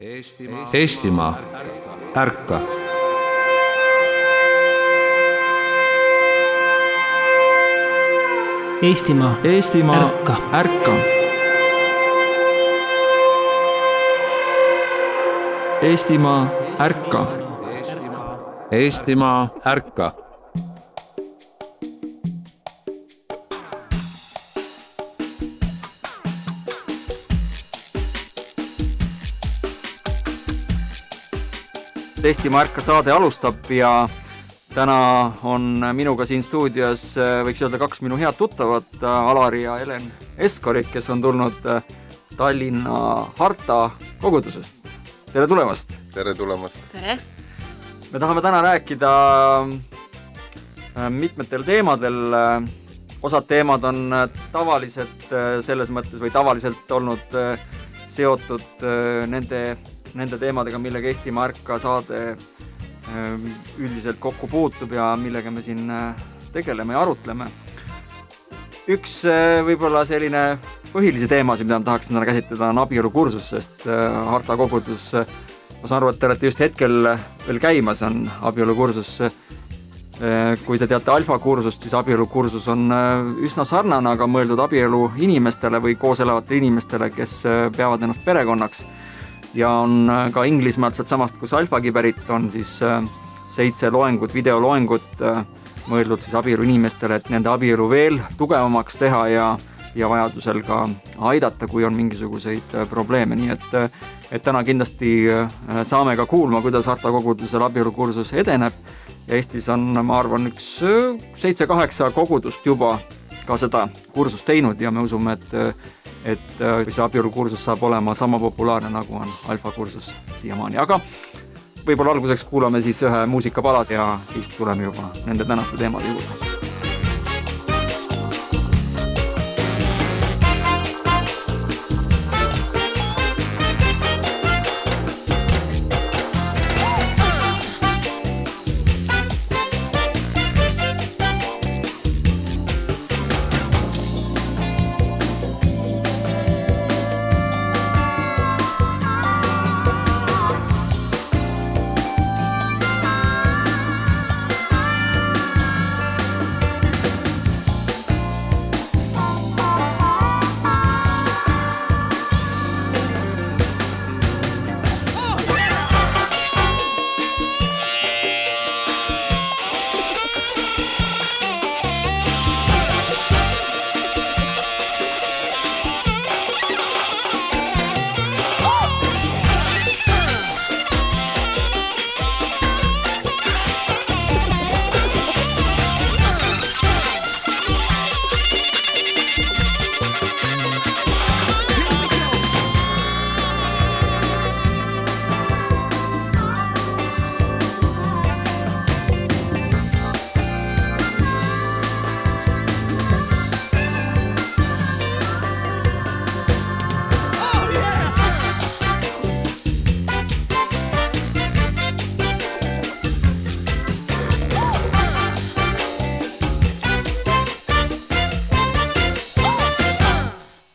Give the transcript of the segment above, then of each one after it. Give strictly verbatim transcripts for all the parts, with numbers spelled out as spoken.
Eestimaa, Eestimaa, ärka! Eestimaa, Eestimaa, ärka! ärka! Eestimaa, ärka! Eestimaa, ärka! Eestimaa ärka saade alustab ja täna on minuga siin stuudios, võiks öelda, kaks minu head tuttavat, Alari ja Helen Eskorit, kes on tulnud Tallinna Harta kogudusest. Tere tulemast! Tere tulemast! Tere! Me tahame täna rääkida mitmetel teemadel. Osad teemad on tavaliselt selles mõttes või tavaliselt olnud seotud nende, nende teemadega, millega Eestimaa ärka saade üldiselt kokku puutub ja millega me siin tegeleme ja arutleme. Üks võib-olla selline põhilisi teemasid, mida ma tahaksin täna käsitleda, on abielu kursus, sest Harta kogudus, ma saan aru, et te olete just hetkel veel käimas, on abielu kursus. Kui te teate alfa kursust, siis abielu kursus on üsna sarnane, aga mõeldud abielu inimestele või koos elavatele inimestele, kes peavad ennast perekonnaks. Ja on ka Inglismaalt sealt samast, kus alfagi pärit on, siis seitse loengut, videoloengut mõeldud siis abielu inimestele, et nende abielu veel tugevamaks teha ja, ja vajadusel ka aidata, kui on mingisuguseid probleeme. Nii et, et täna kindlasti saame ka kuulma, kuidas Harta kogudusel abielu kursus edeneb. Ja Eestis on, ma arvan, üks seitse-kaheksa kogudust juba ka seda kursust teinud ja me usume, et et see abielu kursus saab olema sama populaarne, nagu on alfa kursus siiamaani. Aga võib-olla alguseks kuulame siis ühe muusikapalad ja siis tuleme juba nende tänaste teemade juurde.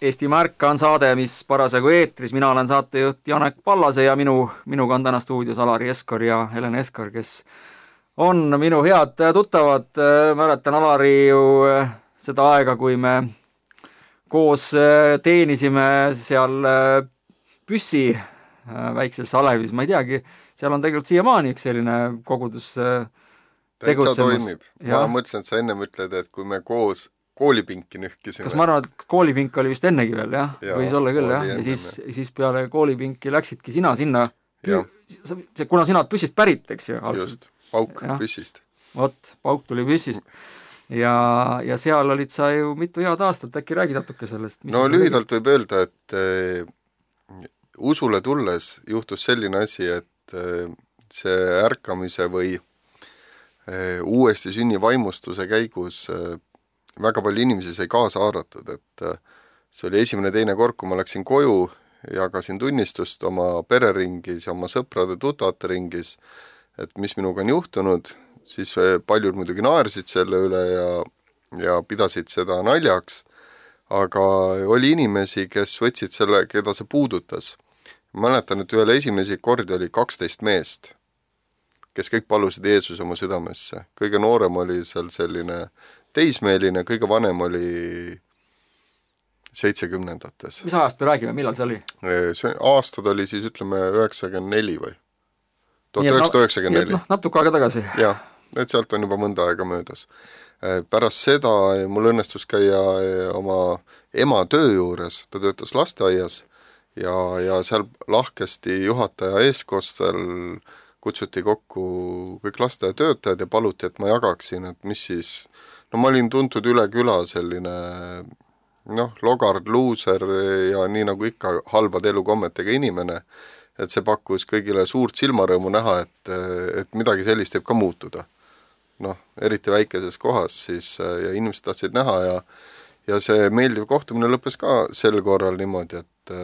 Eestimaa ärka on saade, mis parasjagu eetris. Mina olen saatejuht Janek Pallase ja minu, minuga on täna stuudios Alari Eskor ja Helen Eskor, kes on minu head tuttavad. Mäletan Alari ju seda aega, kui me koos teenisime seal Püssi väikses Alevis. Ma ei teagi, seal on tegelikult siiamaani üks selline kogudus tegutsemus. Täitsa toimib. Ma mõtlesin, et sa ennem ütled, et kui me koos koolipinki nühkisime. Kas ma arvan, et koolipink oli vist ennegi veel, jah? Ja, võis olla küll, jah? Ja siis, siis peale koolipinki läksidki sina sinna, pü- kuna sina Püssist pärit, eks ju? Just, Pauk ja. Püssist. Vot, Pauk tuli Püssist. Ja, ja seal olid sa ju mitu head aastat, äkki räägi natuke sellest? Mis no lühidalt võib öelda, et äh, usule tulles juhtus selline asi, et äh, see ärkamise või äh, uuesti sünni vaimustuse käigus äh, väga palju inimesi sai kaasa haaratud, et see oli esimene teine kord, kui ma läksin koju, jagasin tunnistust oma pereringis ja oma sõprade tutvate ringis, et mis minuga on juhtunud, siis paljud muidugi naersid selle üle ja, ja pidasid seda naljaks, aga oli inimesi, kes võtsid selle, keda see puudutas, ma mäletan, et ühel esimesi kordi oli kaksteist meest, kes kõik palusid Jeesuse oma südamesse. Kõige noorem oli seal selline teismeeline, kõige vanem oli seitsekümnendates. Mis ajast me räägime, millal see oli? See aastad oli siis, ütleme, üheksakümmend neli või? tuhat üheksasada üheksakümmend neli. Noh, natuke aega tagasi. Jah, et sealt on juba mõnda aega möödas. Pärast seda mul õnnestus käia oma ema töö juures, ta töötas lasteaias ja, ja seal lahkesti juhataja eeskostel kutsuti kokku kõik lasteaiatöötajad ja paluti, et ma jagaksin, et mis siis, no ma olin tuntud üle küla selline noh, logard, luuser ja nii nagu ikka halbade elukommetega inimene, et see pakkus kõigile suurt silmarõõmu näha, et, et midagi sellist võib ka muutuda. Noh, eriti väikeses kohas siis ja inimesed tahtsid näha ja, ja see meeldiv kohtumine lõppes ka sel korral niimoodi, et,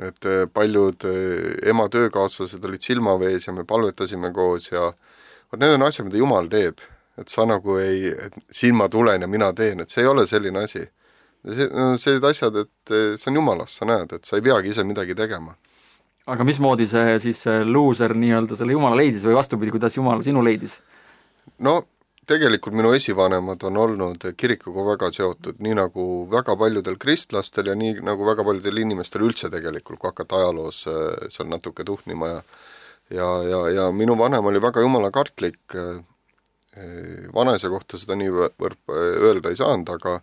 et paljud ema töökaaslased olid silmavees ja me palvetasime koos ja need on asjad, mida Jumal teeb, et sa nagu ei, et siin ma tulen ja mina teen, et see ei ole selline asi. See, no, sellised asjad, et see on Jumalast, sa näed, et sa ei peagi ise midagi tegema. Aga mismoodi see siis see luuser nii-öelda selle Jumala leidis või vastupidi, kuidas Jumal sinu leidis? No tegelikult minu esivanemad on olnud kirikuga väga seotud, nii nagu väga paljudel kristlastel ja nii nagu väga paljudel inimestel üldse tegelikult, kui hakata ajaloos seal natuke tuhnima ja ja, ja, ja minu vanem oli väga jumalakartlik, vanaisa kohta seda nii võrp öelda ei saanud, aga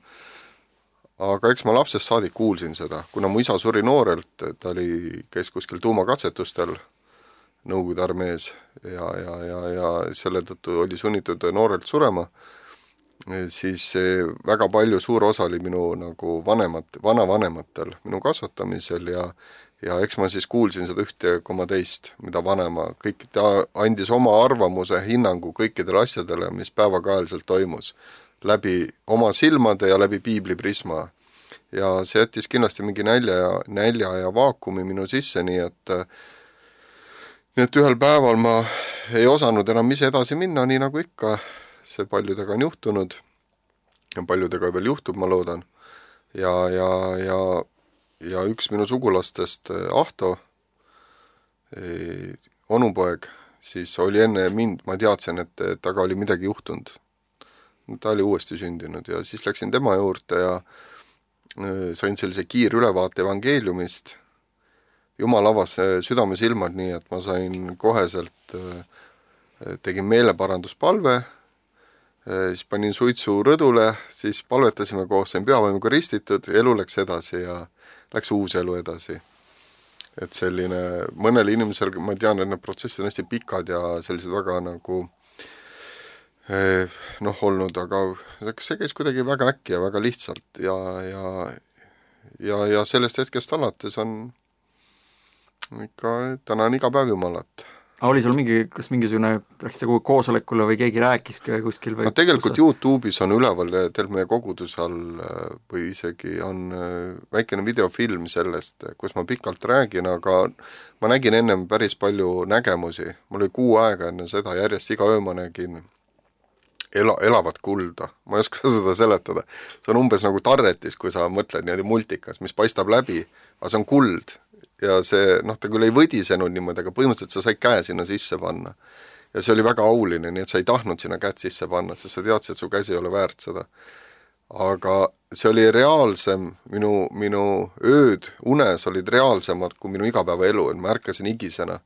aga eks ma lapsest saadik kuulsin seda, kuna mu isa suri noorelt, ta oli, käis kuskil tuumakatsetustel Nõukogude armees ja, ja, ja, ja selle tõttu oli sunnitud noorelt surema, siis väga palju suur osa oli minu nagu vanemat, vanavanematel minu kasvatamisel ja, ja eks ma siis kuulsin seda ühte koma teist, mida vanema, kõik ta andis oma arvamuse, hinnangu kõikidele asjadele, mis päevakaeliselt toimus, läbi oma silmade ja läbi piibli prisma. Ja see jättis kindlasti mingi nälja ja, nälja ja vaakumi minu sisse, nii et nii et ühel päeval ma ei osanud enam ise edasi minna, nii nagu ikka, see paljudega on juhtunud ja paljudega veel juhtub, ma loodan. Ja, ja, ja, ja üks minu sugulastest, Ahto, onupoeg, siis oli enne mind, ma teadsin, et taga oli midagi juhtunud. Ta oli uuesti sündinud ja siis läksin tema juurde ja sain sellise kiir ülevaate evangeeliumist. Jumal avas südame silmad nii, et ma sain koheselt, tegin meeleparanduspalve, siis panin suitsu rõdule, siis palvetasime koos, sain pühavaimuga ristitud, elu läks edasi ja läks uus elu edasi. Et selline, mõnel inimesel, ma tean, et need protsessid on hästi pikad ja sellised väga nagu noh olnud, aga see käis kuidagi väga äkki ja väga lihtsalt ja, ja, ja, ja sellest hetkest alates on ikka, täna on iga päev Jumalat. Aga oli sul mingi, kas mingisugune, läks see koosolekule või keegi rääkis kuskil? Või no tegelikult kus... YouTube'is on üleval teil meie koguduse all või isegi on väikene videofilm sellest, kus ma pikalt räägin, aga ma nägin ennem päris palju nägemusi. Mul oli kuu aega enne seda, järjest iga öö ma nägin ela, elavat kulda. Ma ei oska seda seletada. See on umbes nagu tarretis, kui sa mõtled niimoodi multikas, mis paistab läbi, aga see on kuld. Ja see, noh, ta küll ei võdisenud niimoodi, aga põhimõtteliselt sa said käe sinna sisse panna. Ja see oli väga auline, nii et sa ei tahtnud sinna käed sisse panna, sest sa teadsid, et su käsi ei ole väärt seda. Aga see oli reaalsem, minu, minu ööd unes olid reaalsemad kui minu igapäevaelu, et ma ärkasin igisena.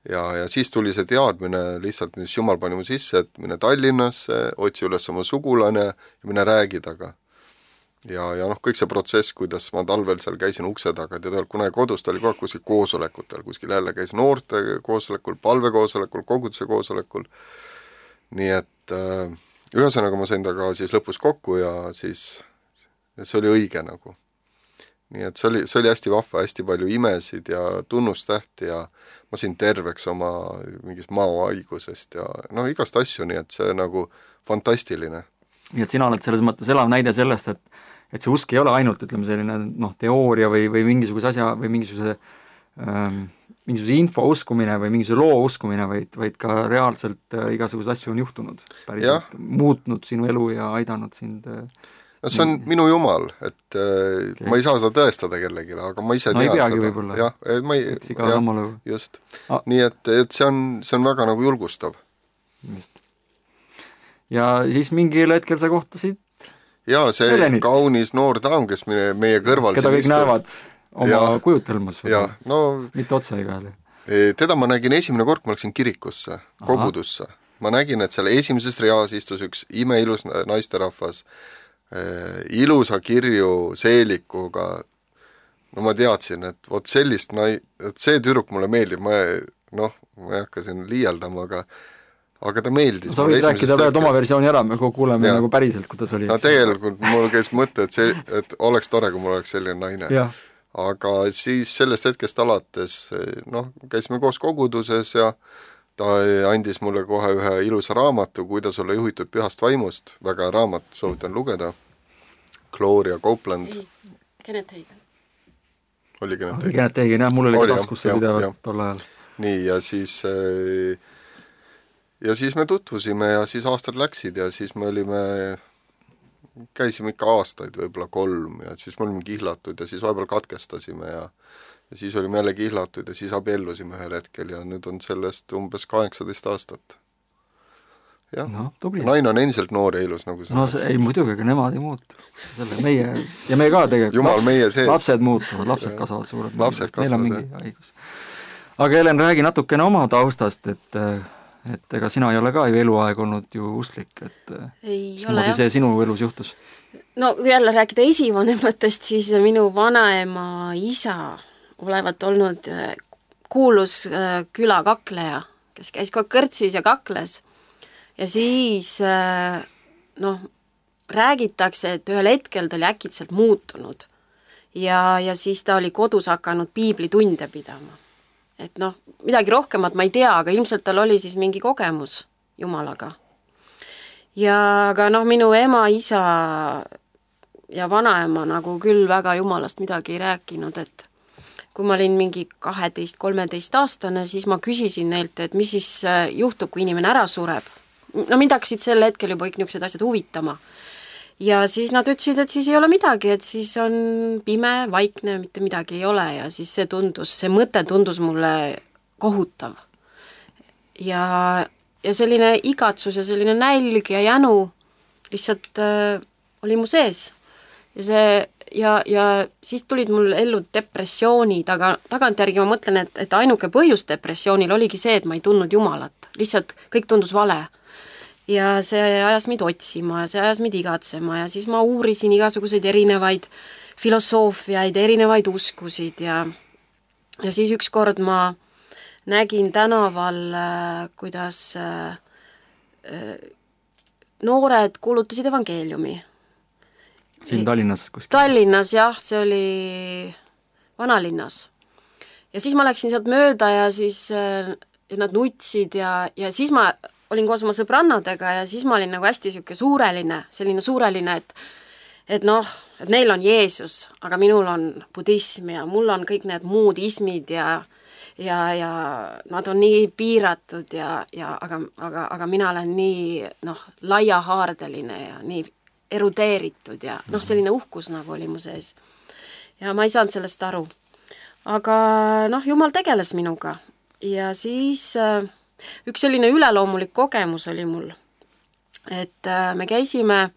Ja, ja siis tuli see teadmine lihtsalt, mis Jumal pani mu sisse, et mine Tallinnasse, otsi üles oma sugulane ja mine räägi taga. Ja, ja noh, kõik see protsess, kuidas ma talvel seal käisin ukse taga, tead, kuna kodus ta oli kogu aeg kuskil koosolekutel, kuskil jälle käis noorte koosolekul, palvekoosolekul, koguduse koosolekul, nii et äh, ühesõnaga ma sain taga siis lõpus kokku ja siis see oli õige nagu. Nii et see oli, see oli hästi vahva, hästi palju imesid ja tunnustähti ja ma sain terveks oma mingist maohaigusest ja noh, igast asju, nii et see nagu fantastiline. Nii et sina oled selles mõttes elav näide sellest, et et see usk ei ole ainult, ütleme, selline noh, teooria või, või mingisuguse asja või mingisuguse, ähm, mingisuguse info uskumine või mingisuguse loo uskumine, vaid, vaid ka reaalselt äh, igasuguse asju on juhtunud. Päriselt muutnud sinu elu ja aidanud sind äh, no see on mm. minu jumal, et äh, okay. ma ei saa seda tõestada kellelegi, aga ma ise no, tean seda. Võib-olla. Jah, ma ei, jah, just. Ah. Nii et, et see on, see on väga nagu julgustav. Just. Ja siis mingil hetkel sa kohtasid ja see Helenit. Kaunis noor daam, kes meie, meie kõrval keda kõik istub. Näevad oma ja, kujutelmas ja, no, mitte otsa igal. Teda ma nägin esimene kord, ma läksin kirikusse, Aha. kogudusse. Ma nägin, et seal esimeses reas istus üks imeilus naisterahvas, äh, ilusa kirju seelikuga. No ma teadsin, et vot sellist, nai-, et see tüdruk mulle meeldib, ma, noh, ma ei hakka siin liialdama, aga aga ta meeldis. Sa võid rääkida veel oma versiooni ära, me kuuleme ja. Nagu päriselt, kuidas oli. No tegelikult mul käis mõte, et, see, et oleks tore, kui mul oleks selline naine. Ja. Aga siis sellest hetkest alates, noh, käisime koos koguduses ja ta andis mulle kohe ühe ilusa raamatu, kuidas olla juhitud pühast vaimust, väga raamat, soovitan lugeda, Gloria Copeland. Kenneth Hagen. Oli Kenneth Hagen. Kenneth Hagen, jah, mul oli, oli taskus see pidevalt tol ajal. Nii, ja siis, ja siis me tutvusime ja siis aastad läksid ja siis me olime, käisime ikka aastaid, võib-olla kolm ja siis me olime kihlatud ja siis vahepeal katkestasime ja ja siis olime jälle kihlatud ja siis abiellusime ühel hetkel ja nüüd on sellest umbes kaheksateist aastat. Jah, no, naine on endiselt noor ja ilus, nagu see. No see, ei muidugi, aga nemad ei muutu. Selle meie, ja me ka tegelikult. Jumal Laps, meie sees. Lapsed muutuvad, lapsed kasvavad suured. Lapsed kasvavad, neil on mingi haigus. Aga Helen, räägi natukene oma taustast, et, et ega sina ei ole ka ju eluaeg olnud ju usklik, et ei ole, jah. See sinu elus juhtus? No kui jälle rääkida esivanematest, siis minu vanaema isa olevat olnud kuulus külakakleja, kes käis kogu kõrtsis ja kakles. Ja siis, noh, räägitakse, et ühel hetkel ta oli äkitselt muutunud. Ja, ja siis ta oli kodus hakanud piiblitunde pidama. Et noh, midagi rohkemat ma ei tea, aga ilmselt tal oli siis mingi kogemus Jumalaga. Ja aga noh, minu ema, isa ja vanaema nagu küll väga Jumalast midagi ei rääkinud, et kui ma olin mingi kaheteist kolmeteist aastane, siis ma küsisin neilt, et mis siis juhtub, kui inimene ära sureb. No mind hakkasid sel hetkel juba kõik niisugused asjad huvitama. Ja siis nad ütlesid, et siis ei ole midagi, et siis on pime, vaikne, mitte midagi ei ole ja siis see tundus, see mõte tundus mulle kohutav. Ja, ja selline igatsus ja selline nälg ja jänu lihtsalt äh, oli mu sees. Ja see Ja, ja siis tulid mul ellu depressioonid, aga tagantjärgi ma mõtlen, et, et ainuke põhjus depressioonil oligi see, et ma ei tundnud Jumalat. Lihtsalt kõik tundus vale. Ja see ajas mind otsima ja see ajas mind igatsema ja siis ma uurisin igasuguseid erinevaid filosoofiaid, erinevaid uskusid ja, ja siis ükskord ma nägin tänaval, kuidas noored kuulutasid evangeeliumi. Siin Tallinnas kuskil? Tallinnas, jah, see oli vanalinnas. Ja siis ma läksin sealt mööda ja siis ja nad nutsid ja, ja siis ma olin koos oma sõbrannadega ja siis ma olin nagu hästi siuke suureline, selline suureline, et et noh, et neil on Jeesus, aga minul on budism ja mul on kõik need muud ismid ja ja, ja nad on nii piiratud ja, ja aga, aga, aga mina olen nii noh, laiahaardeline ja nii erudeeritud ja noh, selline uhkus nagu oli mu sees. Ja ma ei saanud sellest aru. Aga noh, Jumal tegeles minuga. Ja siis äh, üks selline üleloomulik kogemus oli mul. Et äh, me käisime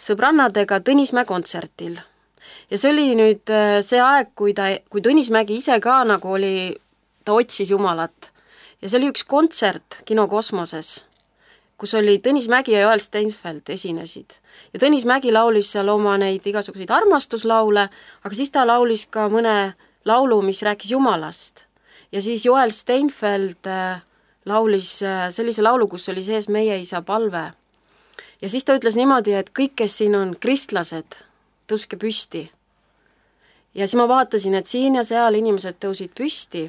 sõbrannadega Tõnismäe kontsertil. Ja see oli nüüd äh, see aeg, kui, ta, kui Tõnismägi ise ka nagu oli, ta otsis Jumalat. Ja see oli üks kontsert Kino Kosmoses, kus oli Tõnis Mägi ja Joel Steinfeld esinesid. Ja Tõnis Mägi laulis seal oma neid igasuguseid armastuslaule, aga siis ta laulis ka mõne laulu, mis rääkis Jumalast. Ja siis Joel Steinfeld laulis sellise laulu, kus oli sees Meie isa palve. Ja siis ta ütles niimoodi, et kõik, kes siin on kristlased, tõuske püsti. Ja siis ma vaatasin, et siin ja seal inimesed tõusid püsti.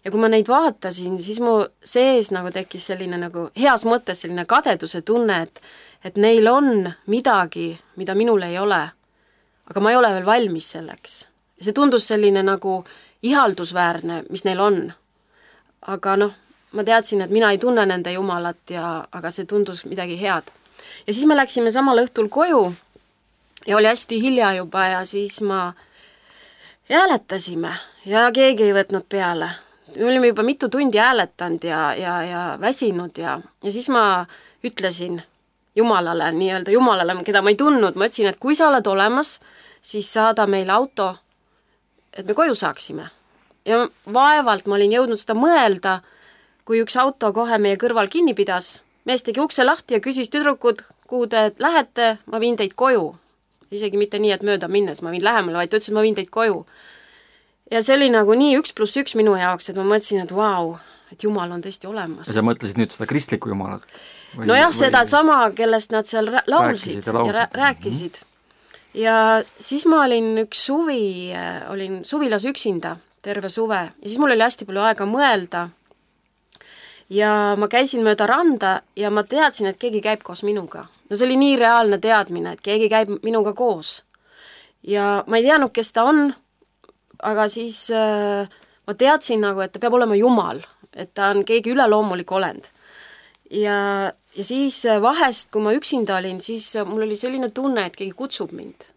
Ja kui ma neid vaatasin, siis mu sees nagu tekkis selline nagu heas mõttes selline kadeduse tunne, et, et neil on midagi, mida minul ei ole. Aga ma ei ole veel valmis selleks. Ja see tundus selline nagu ihaldusväärne, mis neil on. Aga noh, ma teadsin, et mina ei tunne nende Jumalat, ja, aga see tundus midagi head. Ja siis me läksime samal õhtul koju ja oli hästi hilja juba ja siis ma hääletasime ja keegi ei võtnud peale. Me olime juba mitu tundi hääletanud ja, ja, ja väsinud ja, ja siis ma ütlesin Jumalale, nii-öelda Jumalale, keda ma ei tundnud, ma ütlesin, et kui sa oled olemas, siis saada meile auto, et me koju saaksime. Ja vaevalt ma olin jõudnud seda mõelda, kui üks auto kohe meie kõrval kinni pidas. Mees tegi ukse lahti ja küsis tüdrukud, kuhu te lähete, ma viin teid koju. Isegi mitte nii, et mööda minnes ma viin lähemale, vaid ta ütles, et ma viin teid koju. Ja see oli nagu nii üks pluss üks minu jaoks, et ma mõtlesin, et vau, et Jumal on tõesti olemas. Ja sa mõtlesid nüüd seda kristlikku Jumalat? Või, no jah, või... seda sama, kellest nad seal laulsid rääkisid ja, laulsid. ja rääkisid. Mm-hmm. Ja siis ma olin üks suvi, olin suvilas üksinda terve suve ja siis mul oli hästi palju aega mõelda ja ma käisin mööda randa ja ma teadsin, et keegi käib koos minuga. No see oli nii reaalne teadmine, et keegi käib minuga koos. Ja ma ei teadnud, kes ta on, aga siis äh, ma teadsin nagu, et ta peab olema Jumal, et ta on keegi üleloomulik olend. Ja, ja siis vahest, kui ma üksinda olin, siis mul oli selline tunne, et keegi kutsub mind.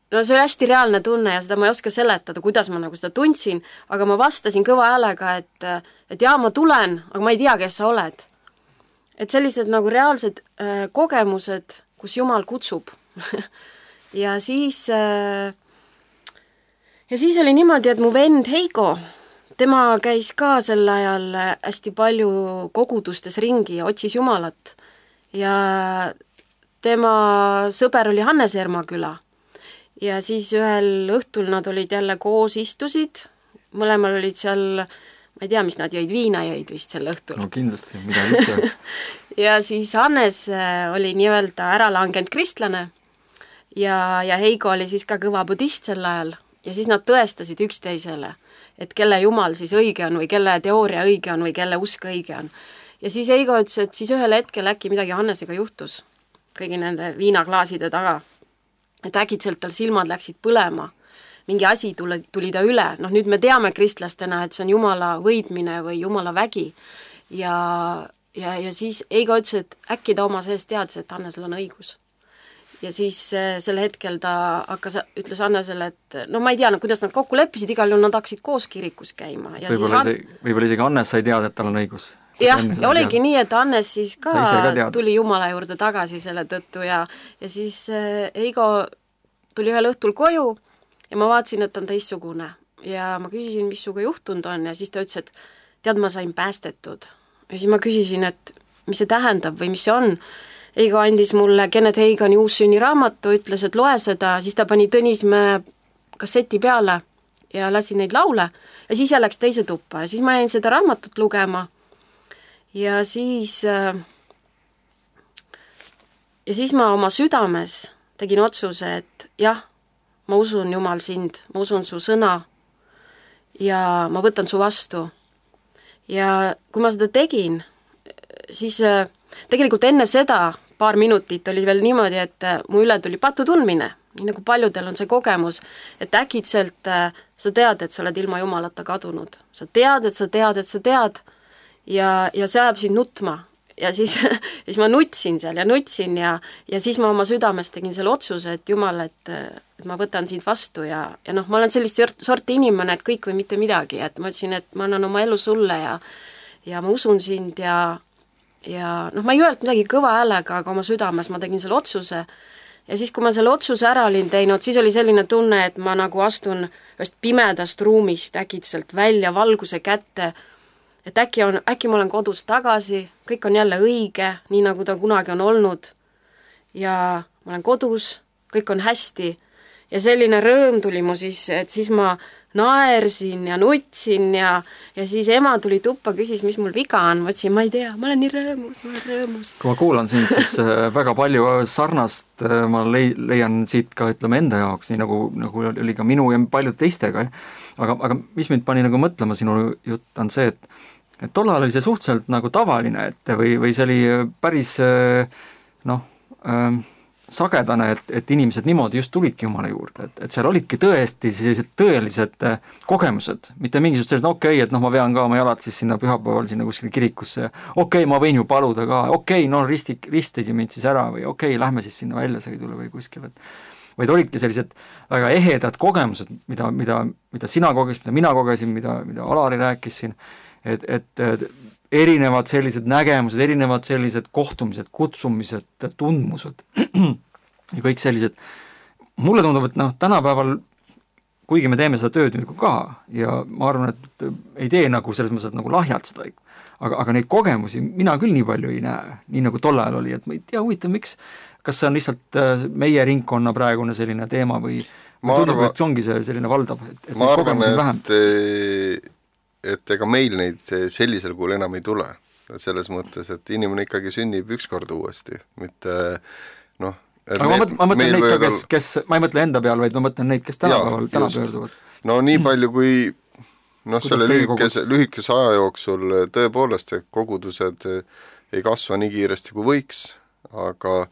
No see oli hästi reaalne tunne ja seda ma ei oska seletada, kuidas ma nagu seda tundsin, aga ma vastasin kõva häälega, et, et jaa, ma tulen, aga ma ei tea, kes sa oled. Et sellised nagu reaalsed äh, kogemused, kus Jumal kutsub. ja siis... Äh, Ja siis oli niimoodi, et mu vend Heigo, tema käis ka sel ajal hästi palju kogudustes ringi ja otsis Jumalat. Ja tema sõber oli Hannes Ermaküla. Ja siis ühel õhtul nad olid jälle koos istusid. Mõlemal olid seal, ma ei tea, mis nad jõid, viina jõid vist sel õhtul. No kindlasti, mida ütle. ja siis Hannes oli nii-öelda ära langenud kristlane. Ja, ja Heigo oli siis ka kõva budist sel ajal. Ja siis nad tõestasid üksteisele, et kelle Jumal siis õige on või kelle teooria õige on või kelle usk õige on. Ja siis Heigo ütles, et siis ühel hetkel äkki midagi Hannesega juhtus kõigi nende viinaklaaside taga. Et äkitselt tal silmad läksid põlema. Mingi asi tuli, tuli ta üle. Noh, nüüd me teame kristlastena, et see on Jumala võidmine või Jumala vägi. Ja, ja, ja siis Heigo ütles, et äkki ta oma sees teadis, et Hannesel on õigus. Ja siis sel hetkel ta hakkas, ütles Hannesele, et no ma ei tea, no kuidas nad kokku leppisid, igal juhul nad hakkasid koos kirikus käima. Ja võib-olla, siis isegi, võib-olla isegi Hannes sai teada, et tal on õigus. Jah, ja oligi nii, et Hannes siis ka, ka tuli Jumala juurde tagasi selle tõttu ja, ja siis Heigo tuli ühel õhtul koju ja ma vaatasin, et ta on teistsugune. Ja ma küsisin, mis suga juhtunud on ja siis ta ütles, et tead, ma sain päästetud. Ja siis ma küsisin, et mis see tähendab või mis see on. Heigo andis mulle Kenneth Hagani uussünni raamatu, ütles, et loe seda, siis ta pani Tõnismäe kasseti peale ja lasi neid laule ja siis läks teise tuppa ja siis ma jäin seda raamatut lugema ja siis ja siis ma oma südames tegin otsuse, et jah, ma usun Jumal sind, ma usun su sõna ja ma võtan su vastu. Ja kui ma seda tegin, siis tegelikult enne seda paar minutit oli veel niimoodi, et mu üle tuli patu tundmine, nii nagu paljudel on see kogemus, et äkitselt sa tead, et sa oled ilma Jumalata kadunud. Sa tead, et sa tead, et sa tead ja, ja see ajab sind nutma. Ja siis, siis ma nutsin seal ja nutsin ja, ja siis ma oma südames tegin selle otsuse, et Jumal, et, et ma võtan sind vastu ja, ja noh, ma olen sellist sorti inimene, et kõik või mitte midagi, et ma ütlesin, et ma annan oma elu sulle ja, ja ma usun sind ja ja noh, ma ei öelnud midagi kõva häälega, aga oma südames ma tegin selle otsuse ja siis, kui ma selle otsuse ära olin teinud, siis oli selline tunne, et ma nagu astun ühest pimedast ruumist äkitselt välja valguse kätte, et äkki, on, äkki ma olen kodus tagasi, kõik on jälle õige, nii nagu ta kunagi on olnud ja ma olen kodus, kõik on hästi ja selline rõõm tuli mu sisse, et siis ma naersin ja nutsin ja, ja siis ema tuli tuppa, küsis, mis mul viga on, ma ütlesin, ma ei tea, ma olen nii rõõmus, ma olen rõõmus. Kui ma kuulan sind, siis väga palju sarnast ma lei-, leian siit ka, ütleme, enda jaoks, nii nagu, nagu oli ka minu ja paljud teistega. Aga, aga mis mind pani nagu mõtlema, sinu jutt on see, et, et tollal oli see suhteliselt nagu tavaline, et või, või see oli päris noh, sagedane, et, et inimesed niimoodi just tulidki Jumala juurde, et, et seal olidki tõesti sellised tõelised kogemused, mitte mingisugused sellised, okei okay,, et noh, ma vean ka oma jalad siis sinna pühapäeval sinna kuskile kirikusse ja okei okay,, ma võin ju paluda ka, okei okay,, no risti, ristigi mind siis ära või okei okay,, lähme siis sinna väljasõidule või kuskile, et vaid olidki sellised väga ehedad kogemused, mida, mida, mida sina kogesid, mida mina kogesin, mida, mida Alari rääkis siin, et, et erinevad sellised nägemused, erinevad sellised kohtumised, kutsumised, tundmused ja kõik sellised. Mulle tundub, et noh, tänapäeval, kuigi me teeme seda tööd nagu ka ja ma arvan, et ei tee nagu selles mõttes nagu lahjalt seda, aga, aga neid kogemusi mina küll nii palju ei näe, nii nagu tol ajal oli, et ma ei tea, huvitav, miks, kas see on lihtsalt meie ringkonna praegune selline teema või ma arvan, et see ongi see selline valdav, et, et ma arvan, et et ega meil neid sellisel kuul enam ei tule. Selles mõttes, et inimene ikkagi sünnib üks kord uuesti, mitte noh, aga me, ma mõtlen neid ka, kes, kes, ma ei mõtle enda peal, vaid ma mõtlen neid, kes tänapäeval täna pöörduvad. No nii palju, kui noh, selle lühikese, lühikese aja jooksul tõepoolest kogudused ei kasva nii kiiresti kui võiks, aga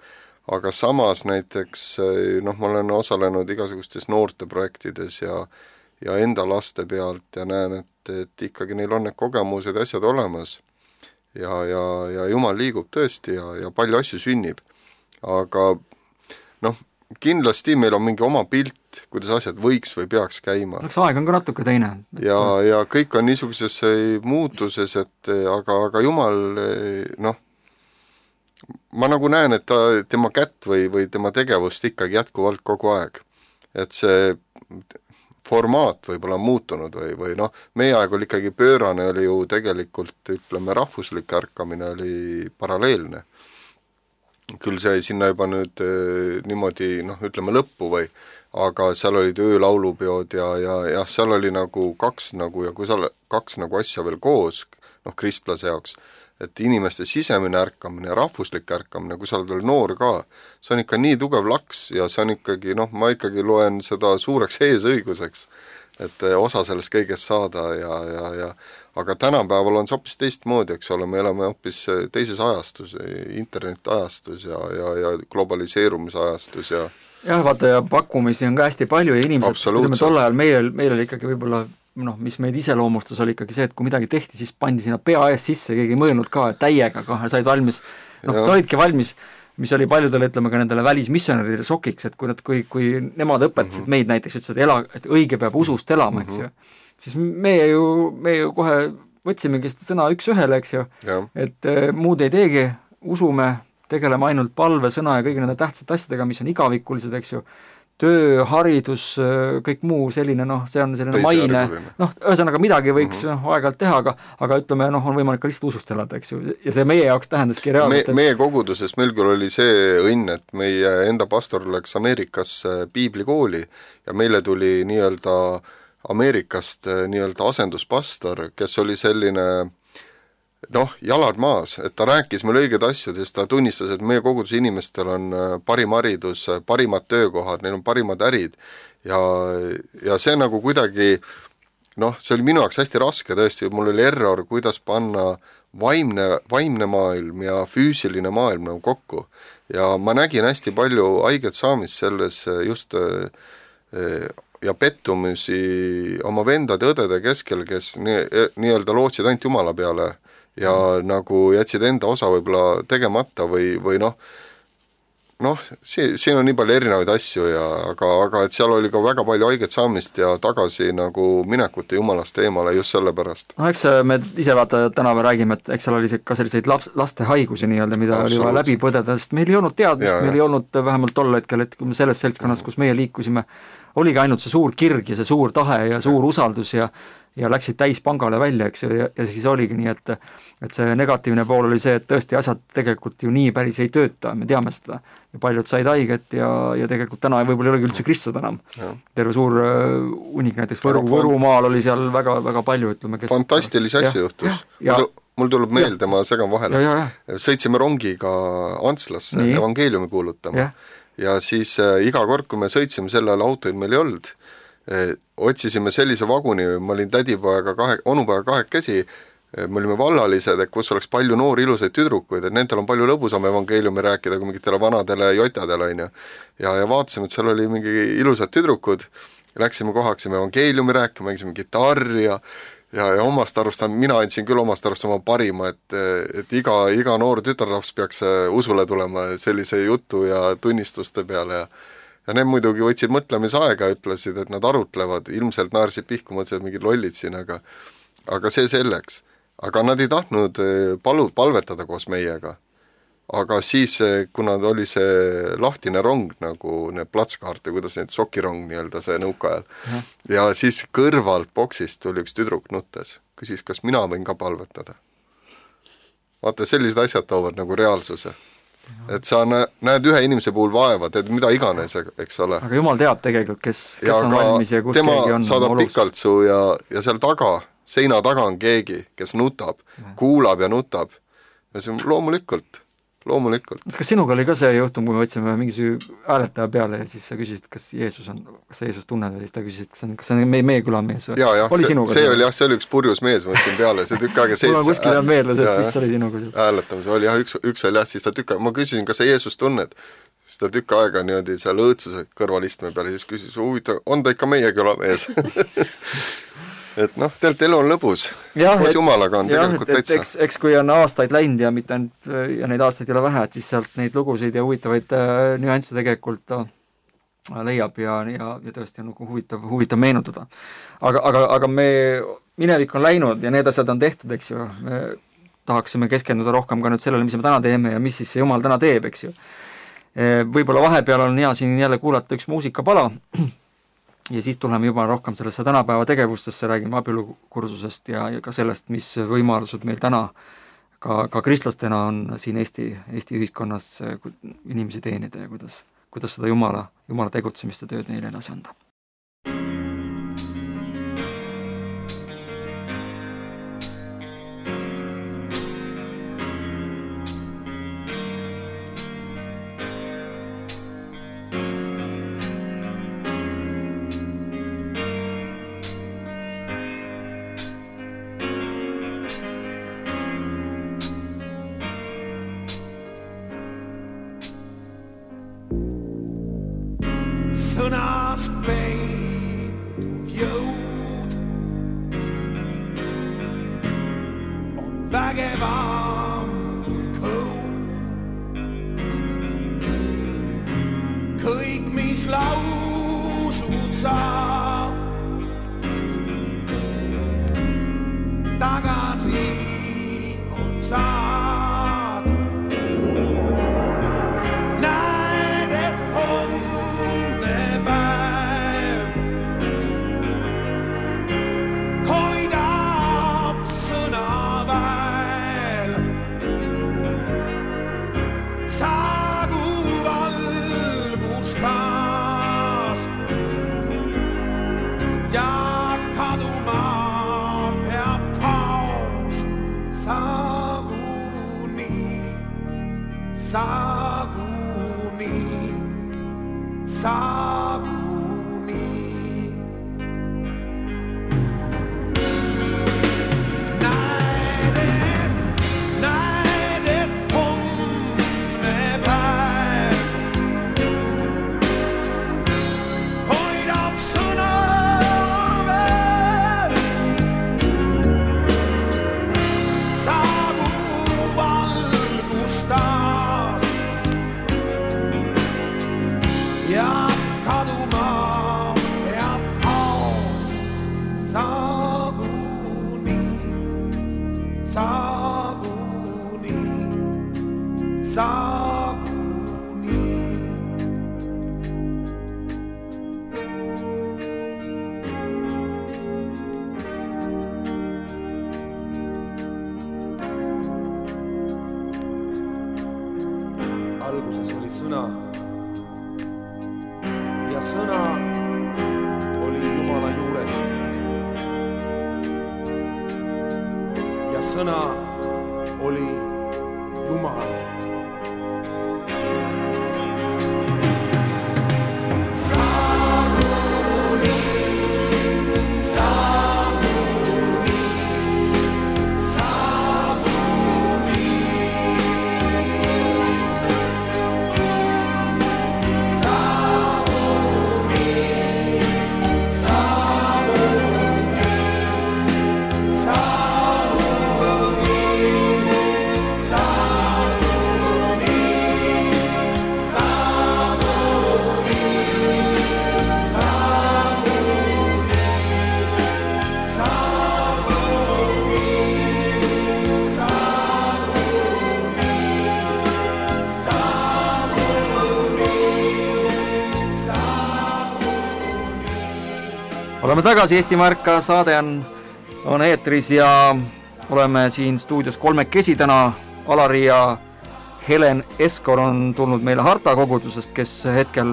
aga samas näiteks noh, ma olen osalenud igasugustes noorteprojektides ja ja enda laste pealt ja näen, et, et ikkagi neil on need kogemused ja asjad olemas ja, ja, ja Jumal liigub tõesti ja, ja palju asju sünnib. Aga noh, kindlasti meil on mingi oma pilt, kuidas asjad võiks või peaks käima. Eks aeg on ka natuke teine. Ja, ja kõik on niisuguses muutuses, et aga, aga Jumal noh, ma nagu näen, et ta, tema kätt või, või tema tegevust ikkagi jätkuvalt kogu aeg. Et see formaat võib-olla on muutunud või, või noh, meie aeg oli ikkagi pöörane, oli ju tegelikult, ütleme, rahvuslik ärkamine oli paralleelne. Küll see sinna juba nüüd niimoodi, noh, ütleme lõppu või, aga seal olid öölaulupeod ja, ja, ja seal oli nagu kaks nagu, ja kui seal kaks nagu asja veel koos, noh, kristlase jaoks, et inimeste sisemine ärkamine ja rahvuslik ärkamine, kui sa oled veel noor ka, see on ikka nii tugev laks ja see on ikkagi, noh, ma ikkagi loen seda suureks eesõiguseks, et osa sellest kõigest saada ja, ja, ja aga tänapäeval on see hoopis teistmoodi, eks ole, me elame hoopis teises ajastus, internet-ajastus ja, ja, ja globaliseerumise ajastus ja jah, vaata ja pakkumisi on ka hästi palju ja inimesed, ütleme tol ajal meil, meil oli ikkagi võib-olla noh, mis meid iseloomustas, oli ikkagi see, et kui midagi tehti, siis pandi sinna pea ees sisse, keegi ei mõelnud ka, et täiega ka, said valmis, noh, sa olidki valmis, mis oli paljudele, ütleme ka nendele välismissionäridele šokiks, et kui nad, kui, kui nemad õpetasid mm -hmm. meid näiteks, ütlesid, et, ela, et õige peab usust elama, eks ju, siis meie ju, me ju kohe võtsimegi seda sõna üks-ühele, eks ju, et e, muud ei teegi, usume, tegeleme ainult palve, sõna ja kõigi nende tähtsate asjadega, mis on igavikulised, eks ju, töö, haridus, kõik muu selline, noh, see on selline maine, noh, ühesõnaga midagi võiks mm -hmm. aeg-ajalt teha, aga, aga ütleme, noh, on võimalik ka lihtsalt usust elada, eks ju, ja see meie jaoks tähendaski reaalselt. Me, meie koguduses meil küll oli see õnn, et meie enda pastor läks Ameerikasse piiblikooli ja meile tuli nii-öelda Ameerikast nii-öelda asenduspastor, kes oli selline noh, jalad maas, et ta rääkis meil õiged asjad, sest ta tunnistas, et meie koguduse inimestel on parim haridus, parimad töökohad, neil on parimad ärid ja, ja see nagu kuidagi noh, see oli minu jaoks hästi raske tõesti, mul oli error, kuidas panna vaimne, vaimne maailm ja füüsiline maailm nagu kokku ja ma nägin hästi palju haiget saamist selles just ja pettumusi oma vendade õdede keskel, kes nii, nii-öelda lootsid ainult Jumala peale ja mm. nagu jätsid enda osa võib-olla tegemata või, või noh, noh, siin, siin on nii palju erinevaid asju ja aga, aga et seal oli ka väga palju haiget saamist ja tagasi nagu minekute Jumalast eemale just selle pärast. No eks me ise vaata täna me räägime, et eks seal oli ka selliseid laps, laste haigusi nii-öelda, mida oli vaja läbi põdeda, sest meil ei olnud teadmist, meil ei olnud vähemalt tol hetkel, et selles seltskonnas, kus meie liikusime, oligi ainult see suur kirg ja see suur tahe ja suur usaldus ja ja läksid täis pangale välja, eks ju, ja, ja siis oligi nii, et et see negatiivne pool oli see, et tõesti asjad tegelikult ju nii päris ei tööta, me teame seda. Ja paljud said haiget ja, ja tegelikult täna võib-olla ei olegi üldse kristlad enam. Ja. Terve suur uh, unik näiteks Võru, Võrumaal oli seal väga, väga palju, ütleme, kes fantastilisi asju juhtus. Ja, mul, mul tuleb meelde, ma segan vahele. Ja, ja. Sõitsime rongiga Antslasse nii. Evangeeliumi kuulutama. Ja, ja siis äh, iga kord, kui me sõitsime, selle ajal autoid meil ei olnud, eh, otsisime sellise vaguni, ma olin tädipojaga kahe, onupojaga kahekesi, me olime vallalised, et kus oleks palju noori ilusaid tüdrukuid, et nendel on palju lõbusam evangeeliumi rääkida kui mingitele vanadele jotadele, on ju. Ja, ja vaatasime, et seal oli mingi ilusad tüdrukud, läksime kohaksime evangeeliumi rääkima, mängisime gitarri ja, ja, ja omast arust, mina andsin küll omast arust oma parima, et, et iga, iga noor tütarlaps peaks usule tulema sellise jutu ja tunnistuste peale ja ja need muidugi võtsid mõtlemisaega, ütlesid, et nad arutlevad, ilmselt naersid pihku, mõtlesid mingid lollid siin, aga, aga see selleks. Aga nad ei tahtnud palu, palvetada koos meiega. Aga siis, kuna oli see lahtine rong, nagu need platskaarte, kuidas need sokirong nii-öelda see nõukaajal, ja. ja siis kõrvalt boksist tuli üks tüdruk nuttes, küsis, kas mina võin ka palvetada. Vaata, sellised asjad toovad nagu reaalsuse. Et sa näed ühe inimese puhul vaeva, teed mida iganes, eks ole. Aga Jumal teab tegelikult, kes, kes ja on valmis ja kus keegi on. Tema saadab pikalt su ja, ja seal taga, seina taga on keegi, kes nutab, ja. kuulab ja nutab. Ja see on loomulikult, loomulikult. Kas sinuga oli ka see juhtum, kui me võtsime mingisuguse hääletaja peale ja siis sa küsisid, kas Jeesus on, kas sa Jeesus tunned või siis ta küsisid, kas, on, kas see on meie, meie küla mees või? Ja, ja, oli see, see oli jah, see oli üks purjus mees, ma võtsin peale, see tükk aega seitse. Mul on kuskil on meeldes, et vist oli sinuga. Hääletamise oli jah, üks, üks oli jah, siis ta tükk aega, ma küsisin, kas sa Jeesus tunned, siis ta tükk aega niimoodi seal õõtsuse kõrvalistme peale, siis küsis, huvita, on ta ikka meie küla mees? Et noh, tegelikult elu on lõbus. Koos Jumalaga on jah, tegelikult täitsa. Eks, eks kui on aastaid läinud ja mitte ainult, ja neid aastaid ei ole vähe, et siis sealt neid lugusid ja huvitavaid äh, nüansse tegelikult äh, leiab ja, ja, ja tõesti on nagu huvitav, huvitav meenutada. Aga, aga, aga me, minevik on läinud ja need asjad on tehtud, eks ju. Me tahaksime keskenduda rohkem ka nüüd sellele, mis me täna teeme ja mis siis see Jumal täna teeb, eks ju. Võib-olla vahepeal on hea siin jälle kuulata üks muusikapala, ja siis tuleme juba rohkem sellesse tänapäeva tegevustesse, räägime abielukursusest ja, ja ka sellest, mis võimalused meil täna ka, ka kristlastena on siin Eesti, Eesti ühiskonnas inimesi teenida ja kuidas, kuidas seda Jumala, Jumala tegutsemist ja tööd neile edasi anda. Sõnas peituv jõud on vägevam kui kõu. Kõik, mis lausud saab, tagasi kord saad. Saguni, saguni. Näed, et, näed, et homne päev hoidab sõna veel. Saagu valgusta ja kaduma peab kaos. Saguni, saguni, saguni. Alguses oli sõna ja sõna oli Jumala juures ja sõna oli Jumal. Saguni, saguni, saguni. oleme tagasi, Eestimaa ärka saade on, on eetris ja oleme siin stuudios kolmekesi täna. Alari ja Helen Eskor on tulnud meile Harta kogudusest, kes hetkel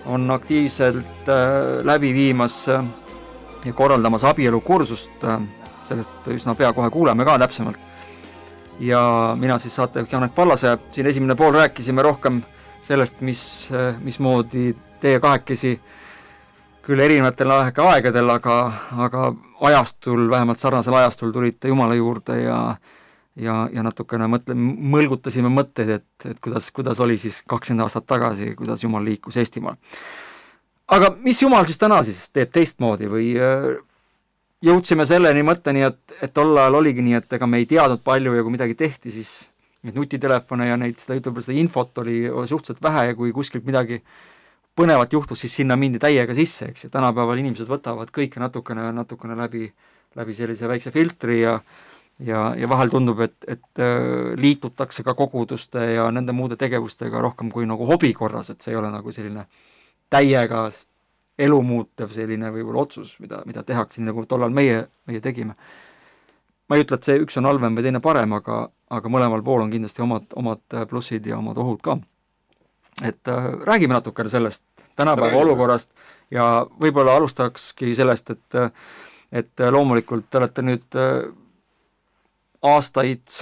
on aktiivselt äh, läbi viimas äh, ja korraldamas abielukursust. Äh, sellest üsna pea kohe kuuleme ka täpsemalt. Ja mina siis saatejuht Janek Pallase. Siin esimene pool rääkisime rohkem sellest, mis, äh, mismoodi teie kahekesi küll erinevatel aegadel, aga, aga ajastul, vähemalt sarnasel ajastul tulite Jumala juurde ja, ja, ja natukene mõtle, mõlgutasime mõtteid, et, et kuidas, kuidas oli siis kakskümmend aastat tagasi, kuidas Jumal liikus Eestimaal. Aga mis Jumal siis täna siis teeb teistmoodi või jõudsime selleni mõtteni, et, et tol ajal oligi nii, et ega me ei teadnud palju ja kui midagi tehti, siis neid nutitelefone ja neid, seda, ütleb, seda infot oli suhteliselt vähe ja kui kuskilt midagi põnevat juhtus, siis sinna mindi täiega sisse, eks, ja tänapäeval inimesed võtavad kõike natukene, natukene läbi, läbi sellise väikse filtri ja, ja, ja vahel tundub, et, et liitutakse ka koguduste ja nende muude tegevustega rohkem kui nagu hobi korras, et see ei ole nagu selline täiega elu muutev selline võib-olla otsus, mida, mida tehakse, nagu tollal meie, meie tegime. Ma ei ütle, et see üks on halvem või teine parem, aga, aga mõlemal pool on kindlasti omad, omad plussid ja omad ohud ka. Et äh, räägime natukene sellest tänapäeva räägime. Olukorrast ja võib-olla alustakski sellest, et, et loomulikult te olete nüüd äh, aastaid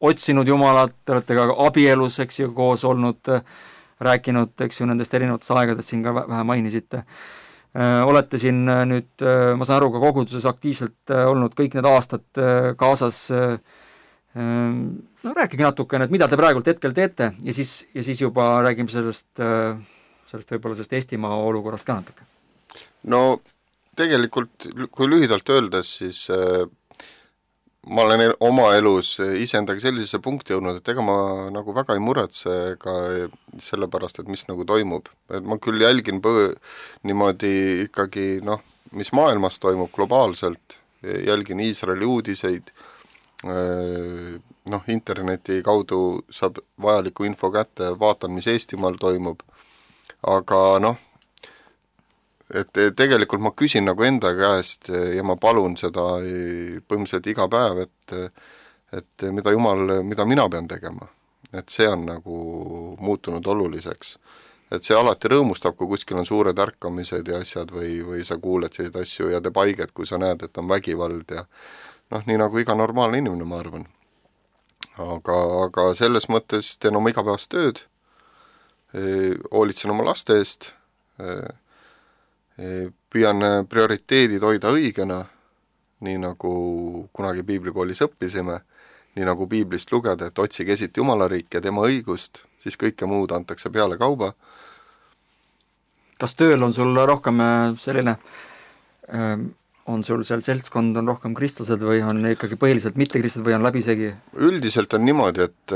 otsinud Jumalat, te olete ka abielus, eks ju, koos olnud, äh, rääkinud, eks ju, nendest erinevatest aegadest siin ka vähe mainisite. Äh, olete siin äh, nüüd, äh, ma saan aru, ka koguduses aktiivselt äh, olnud kõik need aastad äh, kaasas äh, no rääkige natukene, et mida te praegult hetkel teete ja siis, ja siis juba räägime sellest, sellest võib-olla sellest Eestimaa olukorrast ka natuke. No tegelikult, kui lühidalt öeldes, siis äh, ma olen oma elus iseendaga sellisesse punkti jõudnud, et ega ma nagu väga ei muretse ka selle pärast, et mis nagu toimub. Et ma küll jälgin põ- niimoodi ikkagi, noh, mis maailmas toimub globaalselt, jälgin Iisraeli uudiseid, noh, interneti kaudu saab vajaliku info kätte, vaatan, mis Eestimaal toimub, aga noh, et tegelikult ma küsin nagu enda käest ja ma palun seda põhimõtteliselt iga päev, et, et mida Jumal, mida mina pean tegema. Et see on nagu muutunud oluliseks. Et see alati rõõmustab, kui kuskil on suured ärkamised ja asjad või, või sa kuuled selliseid asju ja teeb haiget, kui sa näed, et on vägivald ja noh, nii nagu iga normaalne inimene, ma arvan. Aga, aga selles mõttes teen oma igapäevast tööd, hoolitsen oma laste eest, püüan prioriteedid hoida õigena, nii nagu kunagi piiblikoolis õppisime, nii nagu piiblist lugeda, et otsige esiti Jumala riiki ja tema õigust, siis kõike muud antakse peale kauba. Kas tööl on sul rohkem selline... Ähm... on sul seal seltskond, on rohkem kristlased või on ikkagi põhiliselt mitte kristlased või on läbisegi? Üldiselt on niimoodi, et,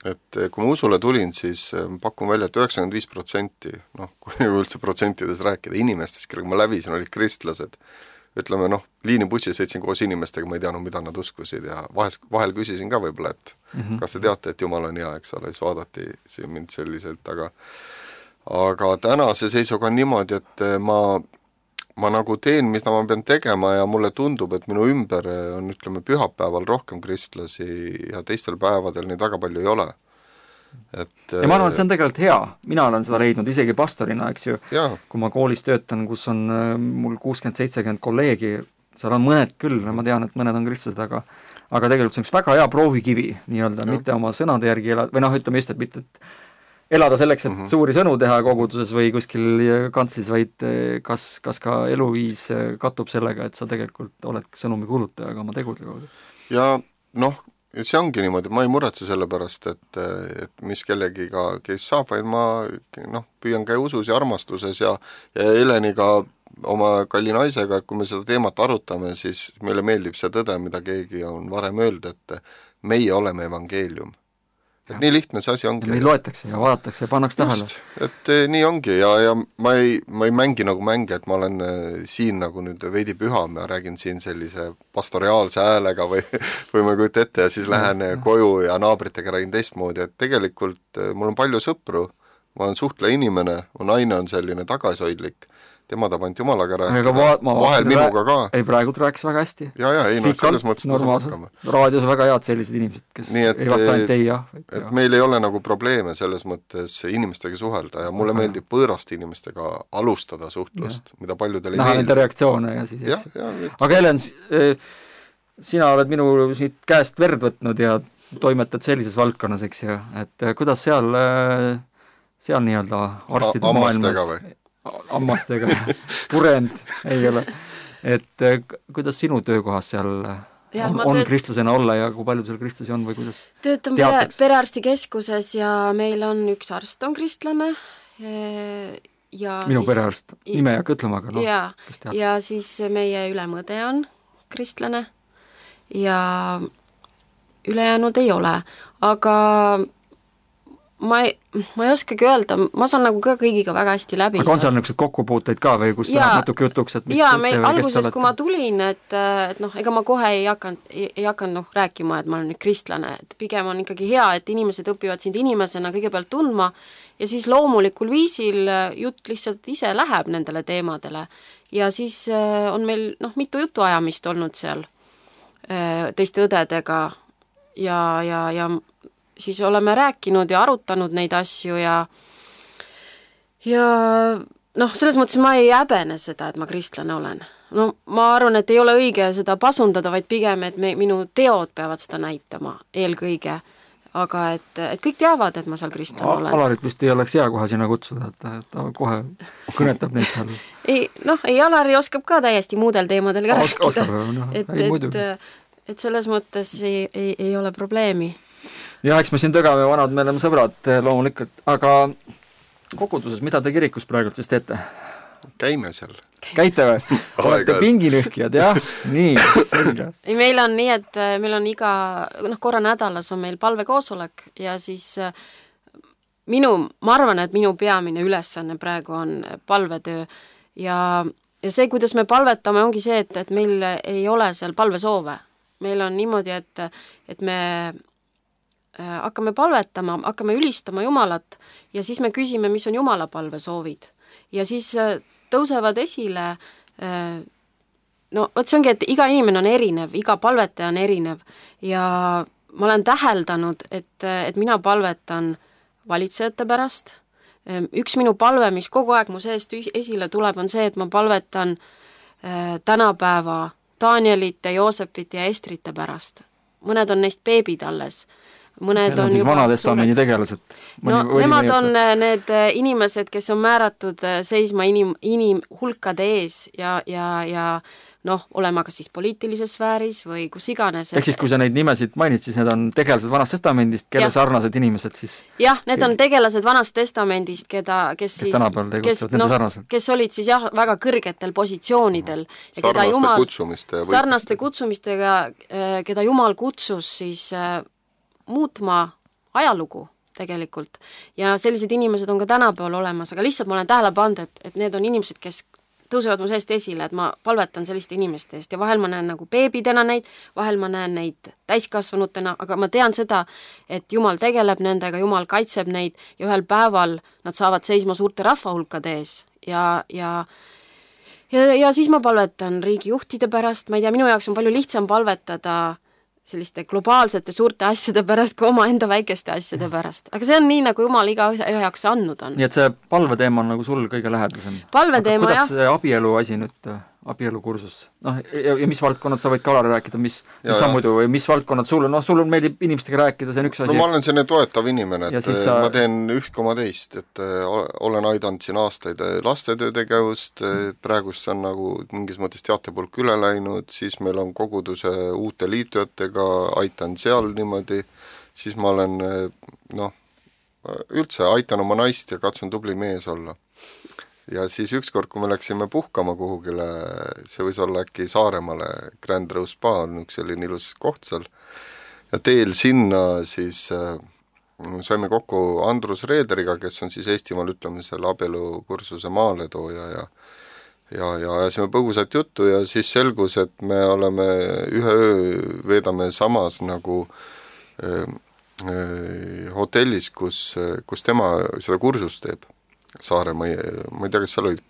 et kui ma usule tulin, siis pakun välja, et üheksakümmend viis protsenti, noh, kui üldse protsentides rääkida, inimestest, kellega ma läbisin, olid kristlased. Ütleme, noh, liinibussi sõitsin koos inimestega, ma ei teadnud, mida nad uskusid ja vahel, vahel küsisin ka võib-olla, et mm-hmm. kas te teate, et Jumal on hea, eks ole, siis vaadati mind selliselt, aga aga tänase seisuga on niimoodi, et ma ma nagu teen, mida ma pean tegema ja mulle tundub, et minu ümber on, ütleme, pühapäeval rohkem kristlasi ja teistel päevadel neid väga palju ei ole. Et, ja ma arvan, et see on tegelikult hea. Mina olen seda leidnud isegi pastorina, eks ju, jaa. Kui ma koolis töötan, kus on mul kuuskümmend seitsekümmend kolleegi, seal on mõned küll, ma tean, et mõned on kristlased, aga, aga tegelikult see on üks väga hea proovikivi, nii-öelda, mitte oma sõnade järgi elada, või noh, ütleme just, et mitte et elada selleks, et mm-hmm. suuri sõnu teha koguduses või kuskil kantslis, vaid kas, kas ka eluviis kattub sellega, et sa tegelikult oled sõnumi kuulutaja, aga oma tegude kaudu. Ja noh, see ongi niimoodi, ma ei muretse selle pärast, et, et mis kellegiga, kes saab, vaid ma noh, püüan käia usus ja armastuses ja, ja Heleniga, oma kalli naisega, et kui me seda teemat arutame, siis meile meeldib see tõde, mida keegi on varem öelnud, et meie oleme evangeelium. Et nii lihtne see asi ongi. Ja meil loetakse ja vaadatakse ja pannakse tähele. Et nii ongi ja, ja ma, ei, ma ei mängi nagu mänge, et ma olen siin nagu nüüd veidi püham ja räägin siin sellise pastoriaalse häälega või, või ma kujutan ette ja siis lähen ja, koju ja naabritega räägin teistmoodi, et tegelikult mul on palju sõpru, ma olen suhtleja inimene, mu naine on selline tagasihoidlik, tema tahab ainult Jumalaga Aga rääkida, va- ma vahel vaatasin, minuga ka. Ei, praegu rääkis väga hästi. Ja, ja, ei, no selles mõttes ta suhkama. Raadios on väga head sellised inimesed, kes Nii et, ei vasta ainult ei, jah. Et jah. Meil ei ole nagu probleeme selles mõttes inimestega suhelda ja mulle Aha. meeldib võõraste inimestega alustada suhtlust, ja. mida paljudel ei Näha meeldi. nende reaktsioone ja siis ja, ja, aga Helen, sina oled minu siit käest verd võtnud ja toimetad sellises valdkonnas, eks ju, et kuidas seal, seal nii-öelda arstide A- ammastega maailmas või? ammastega, purend ei ole. Et kuidas sinu töökohas seal ja, on, on tööt... kristlasena olla ja kui palju seal kristlasi on või kuidas? Töötan pere, perearstikeskuses ja meil on üks arst on kristlane ja minu siis... perearst, nime ei hakka ütlema, aga noh, ja, ja siis meie ülemõde on kristlane ja ülejäänud ei ole, aga ma ei, ma ei oskagi öelda, ma saan nagu ka kõigiga väga hästi läbi. Aga on seal niisugused kokkupuuteid ka või kus läheb natuke jutuks, et mis jaa, meil alguses, kui ma tulin, et, et noh, ega ma kohe ei hakanud, ei, ei hakanud noh, rääkima, et ma olen nüüd kristlane, et pigem on ikkagi hea, et inimesed õpivad sind inimesena kõigepealt tundma ja siis loomulikul viisil jutt lihtsalt ise läheb nendele teemadele ja siis on meil noh, mitu jutuajamist olnud seal teiste õdedega ja, ja, ja siis oleme rääkinud ja arutanud neid asju ja ja noh, selles mõttes ma ei häbene seda, et ma kristlane olen. No ma arvan, et ei ole õige seda pasundada, vaid pigem, et me, minu teod peavad seda näitama eelkõige. Aga et, et kõik teavad, et ma seal kristlane olen. Alarit vist ei oleks hea kohe sinna kutsuda, et ta kohe kõnetab neid seal. ei, noh, ei, Alari oskab ka täiesti muudel teemadel ka Osk, rääkida. Oskab, no, et, et, et selles mõttes ei, ei, ei ole probleemi. Ja eks me siin tögame vanad, me oleme sõbrad loomulikult, aga koguduses, mida te kirikus praegult siis teete? Käime seal. Käite või? Olete pingilühkijad, jah? Nii, selge. Ei, meil on nii, et meil on iga, noh, korra nädalas on meil palvekoosolek ja siis minu, ma arvan, et minu peamine ülesanne praegu on palvetöö ja, ja see, kuidas me palvetame, ongi see, et, et meil ei ole seal palvesoove. Meil on niimoodi, et, et me hakkame palvetama, hakkame ülistama Jumalat ja siis me küsime, mis on Jumala palvesoovid. Ja siis tõusevad esile, no vot see ongi, et iga inimene on erinev, iga palvetaja on erinev ja ma olen täheldanud, et, et mina palvetan valitsejate pärast. Üks minu palve, mis kogu aeg mu seest esile tuleb, on see, et ma palvetan tänapäeva Danielite, Joosepite ja Estrite pärast. Mõned on neist beebid alles. Mõned on, on juba vanatestamendi tegelased. No nemad on need inimesed, kes on määratud seisma inim, inim hulkade ees ja, ja, ja noh, olema kas siis poliitilises sfääris või kus iganes. Ehk siis, kui sa neid nimesid mainid, siis need on tegelased vanast testamendist, kelle ja. sarnased inimesed siis? Jah, need on tegelased vanast testamendist, keda, kes, kes siis, tänapäeval tegutsevad nende sarnaselt. Kes olid siis jah, väga kõrgetel positsioonidel. Ja sarnaste Jumal, kutsumiste. Sarnaste kutsumistega, keda Jumal kutsus siis muutma ajalugu tegelikult. Ja sellised inimesed on ka tänapäeval olemas, aga lihtsalt ma olen tähele pannud, et, et need on inimesed, kes tõusevad mu seest esile, et ma palvetan selliste inimeste eest ja vahel ma näen nagu beebidena neid, vahel ma näen neid täiskasvanutena, aga ma tean seda, et Jumal tegeleb nendega, Jumal kaitseb neid ja ühel päeval nad saavad seisma suurte rahvahulkade ees ja, ja ja, ja siis ma palvetan riigijuhtide pärast, ma ei tea, minu jaoks on palju lihtsam palvetada selliste globaalsete suurte asjade pärast kui oma enda väikeste asjade pärast. Aga see on nii, nagu Jumal iga ühe jaoks andnud on. Nii et see palveteema on nagu sul kõige lähedasem. Palveteema, jah. Kuidas see abielu asi nüüd, abielukursus? Noh, ja, ja mis valdkonnad sa võid ka Alari rääkida, mis, mis sa muidu, või mis valdkonnad sul on? Noh, sul on meeldib inimestega rääkida, see on üks asi. No ma olen selline toetav inimene, et sa... ma teen üht koma teist, et olen aidanud siin aastaid lastetöö tegevust, praegust on nagu mingis mõttes teatepulk üle läinud, siis meil on koguduse uute liitujatega, aitan seal niimoodi, siis ma olen, noh, üldse aitan oma naist ja katsun tubli mees olla. Ja siis ükskord, kui me läksime puhkama kuhugile, see võis olla äkki Saaremaale, Grand Rose Spa on üks selline ilus koht seal, ja teel sinna siis äh, saime kokku Andrus Reederiga, kes on siis Eestimaal ütleme selle abielukursuse maaletooja ja ja, ja ajasime põgusat juttu ja siis selgus, et me oleme ühe öö veedame samas nagu äh, äh, hotellis, kus, kus tema seda kursust teeb. Saare, ma ei, ma ei tea, kas seal olid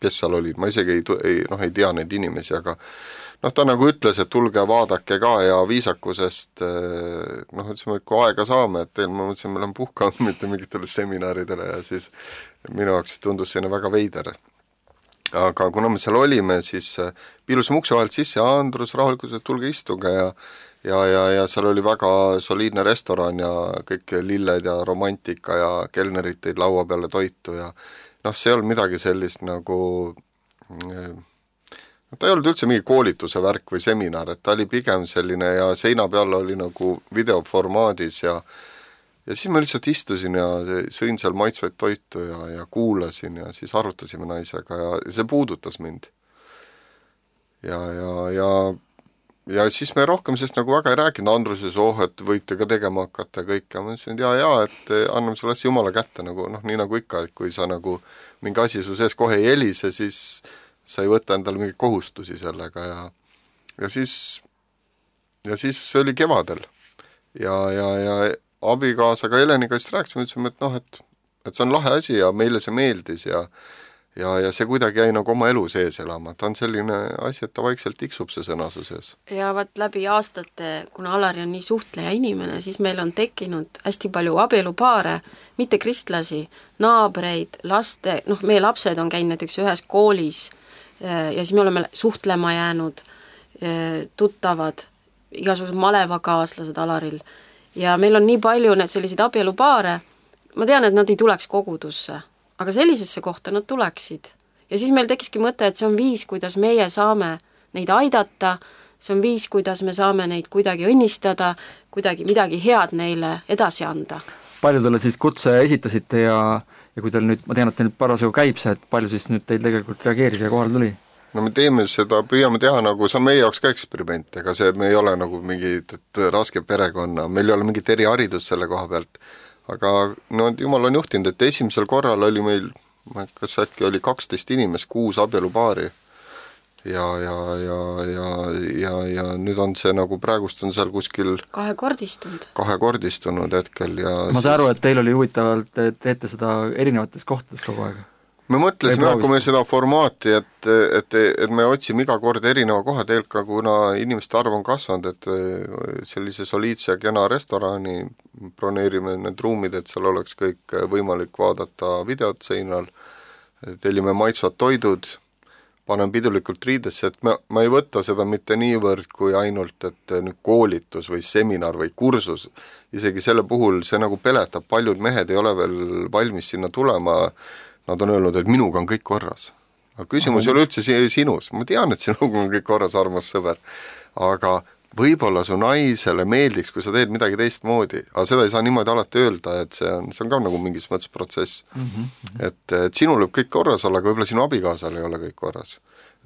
kes seal olid, ma isegi ei, ei, noh, ei tea neid inimesi, aga noh, ta nagu ütles, et tulge vaadake ka ja viisakusest noh, ütlesime, et kui aega saame, et teil, ma mõtlesin, me oleme puhkanud mitte mingitele seminaridele ja siis minu jaoks tundus selline väga veider. Aga kuna me seal olime, siis piilusime ukse vahelt sisse ja Andrus rahulikult, et tulge istuge ja ja, ja, ja seal oli väga soliidne restoran ja kõik lilled ja romantika ja kelnerid tõid laua peale toitu ja noh, see ei olnud midagi sellist nagu ta ei olnud üldse mingi koolituse värk või seminar, et ta oli pigem selline ja seina peal oli nagu videoformaadis ja ja siis ma lihtsalt istusin ja sõin seal maitsvaid toitu ja, ja kuulasin ja siis arutasime naisega ja see puudutas mind. Ja, ja, ja ja siis me rohkem sest nagu väga ei rääkinud, Andruses, oh, et võite ka tegema hakata kõik ja ma ütlesin, et jaa, jaa, et anname selle asja jumala kätte, nagu, noh, nii nagu ikka, et kui sa nagu mingi asi su sees kohe ei helise, siis sa ei võta endale mingeid kohustusi sellega ja ja siis ja siis see oli kevadel ja, ja, ja abikaasaga Heleniga just rääkisime, ütlesime, et noh, et, et see on lahe asi ja meile see meeldis ja Ja, ja see kuidagi jäi nagu oma elu sees elama. Ta on selline asi, et ta vaikselt tiksub see sõnasu sees. Ja vaat läbi aastate, kuna Alari on nii suhtleja inimene, siis meil on tekkinud hästi palju abielupaare, mitte kristlasi, naabreid, laste, noh, meie lapsed on käinud näiteks ühes koolis ja siis me oleme suhtlema jäänud, tuttavad, igasugused malevakaaslased Alaril. Ja meil on nii palju need selliseid abielupaare, ma tean, et nad ei tuleks kogudusse, aga sellisesse kohta nad tuleksid. Ja siis meil tekiski mõte, et see on viis, kuidas meie saame neid aidata, see on viis, kuidas me saame neid kuidagi õnnistada, kuidagi midagi head neile edasi anda. Palju teile siis kutse esitasite ja, ja kui teil nüüd, ma tean, et teil parasjagu käib see, et palju siis nüüd teil tegelikult reageeris ja kohal tuli? No me teeme seda, püüame teha nagu, see on meie jaoks ka eksperiment, ega see, me ei ole nagu mingi raske perekonna, meil ei ole mingit eriharidust selle koha pealt. Aga no jumal on juhtinud, et esimesel korral oli meil, kas äkki oli kaksteist inimest, kuus abielupaari ja, ja, ja, ja, ja, ja nüüd on see nagu praegust on seal kuskil kahekordistunud. Kahekordistunud hetkel ja ma saan aru, et teil oli huvitavalt, et teete seda erinevates kohtades kogu aeg. Me mõtlesime, kui me seda formaati, et, et, et me otsime iga kord erineva koha teelka, kuna inimeste arv on kasvanud, et sellise soliidse ja kena restorani broneerime need ruumid, et seal oleks kõik võimalik vaadata videot seinal, tellime maitsvad toidud, panen pidulikult riidesse, et ma, ma ei võta seda mitte niivõrd kui ainult, et nüüd koolitus või seminar või kursus, isegi selle puhul see nagu peletab, paljud mehed ei ole veel valmis sinna tulema. Nad on öelnud, et minuga on kõik korras. Aga küsimus ei ole üldse sinus. Ma tean, et sinuga on kõik korras, armas sõber. Aga võib-olla su naisele meeldiks, kui sa teed midagi teistmoodi. Aga seda ei saa niimoodi alati öelda, et see on, see on ka nagu mingis mõttes protsess. Mm-hmm. Et, et sinul võib kõik korras olla, aga võib-olla sinu abikaasal ei ole kõik korras.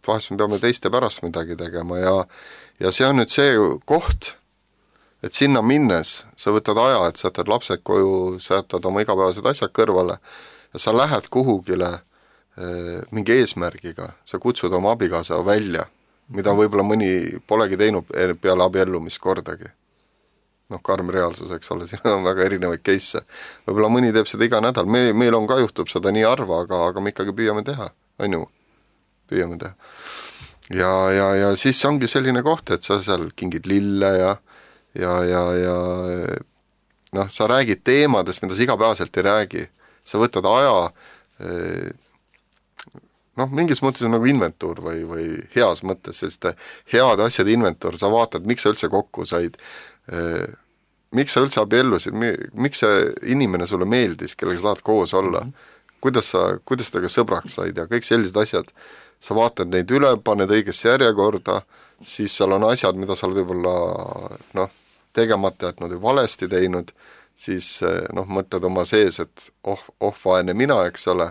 Et vahest me peame teiste pärast midagi tegema ja, ja see on nüüd see koht, et sinna minnes sa võtad aja, et sa jätad lapsed koju, sa jätad oma igapäevased asjad kõrvale ja sa lähed kuhugile e, mingi eesmärgiga, sa kutsud oma abikaasa välja, mida võib-olla mõni polegi teinud peale abiellumist kordagi. Noh, karm reaalsus, eks ole, siin on väga erinevaid case'e. Võib-olla mõni teeb seda iga nädal, me, meil on ka juhtub seda nii harva, aga, aga me ikkagi püüame teha, on ju, püüame teha. Ja, ja, ja siis ongi selline koht, et sa seal kingid lille ja, ja, ja, ja noh, sa räägid teemadest, mida sa igapäevaselt ei räägi. Sa võtad aja, noh, mingis mõttes on nagu inventuur või, või heas mõttes, selliste head asjade inventuur, sa vaatad, miks sa üldse kokku said, miks sa üldse abiellusid, miks see inimene sulle meeldis, kellega sa tahad koos olla, kuidas sa, kuidas temaga sõbraks said ja kõik sellised asjad, sa vaatad neid üle, paned õigesse järjekorda, siis seal on asjad, mida sa oled võib-olla noh, tegemata jätnud või valesti teinud, siis noh, mõtled oma sees, et oh, oh vaene mina, eks ole,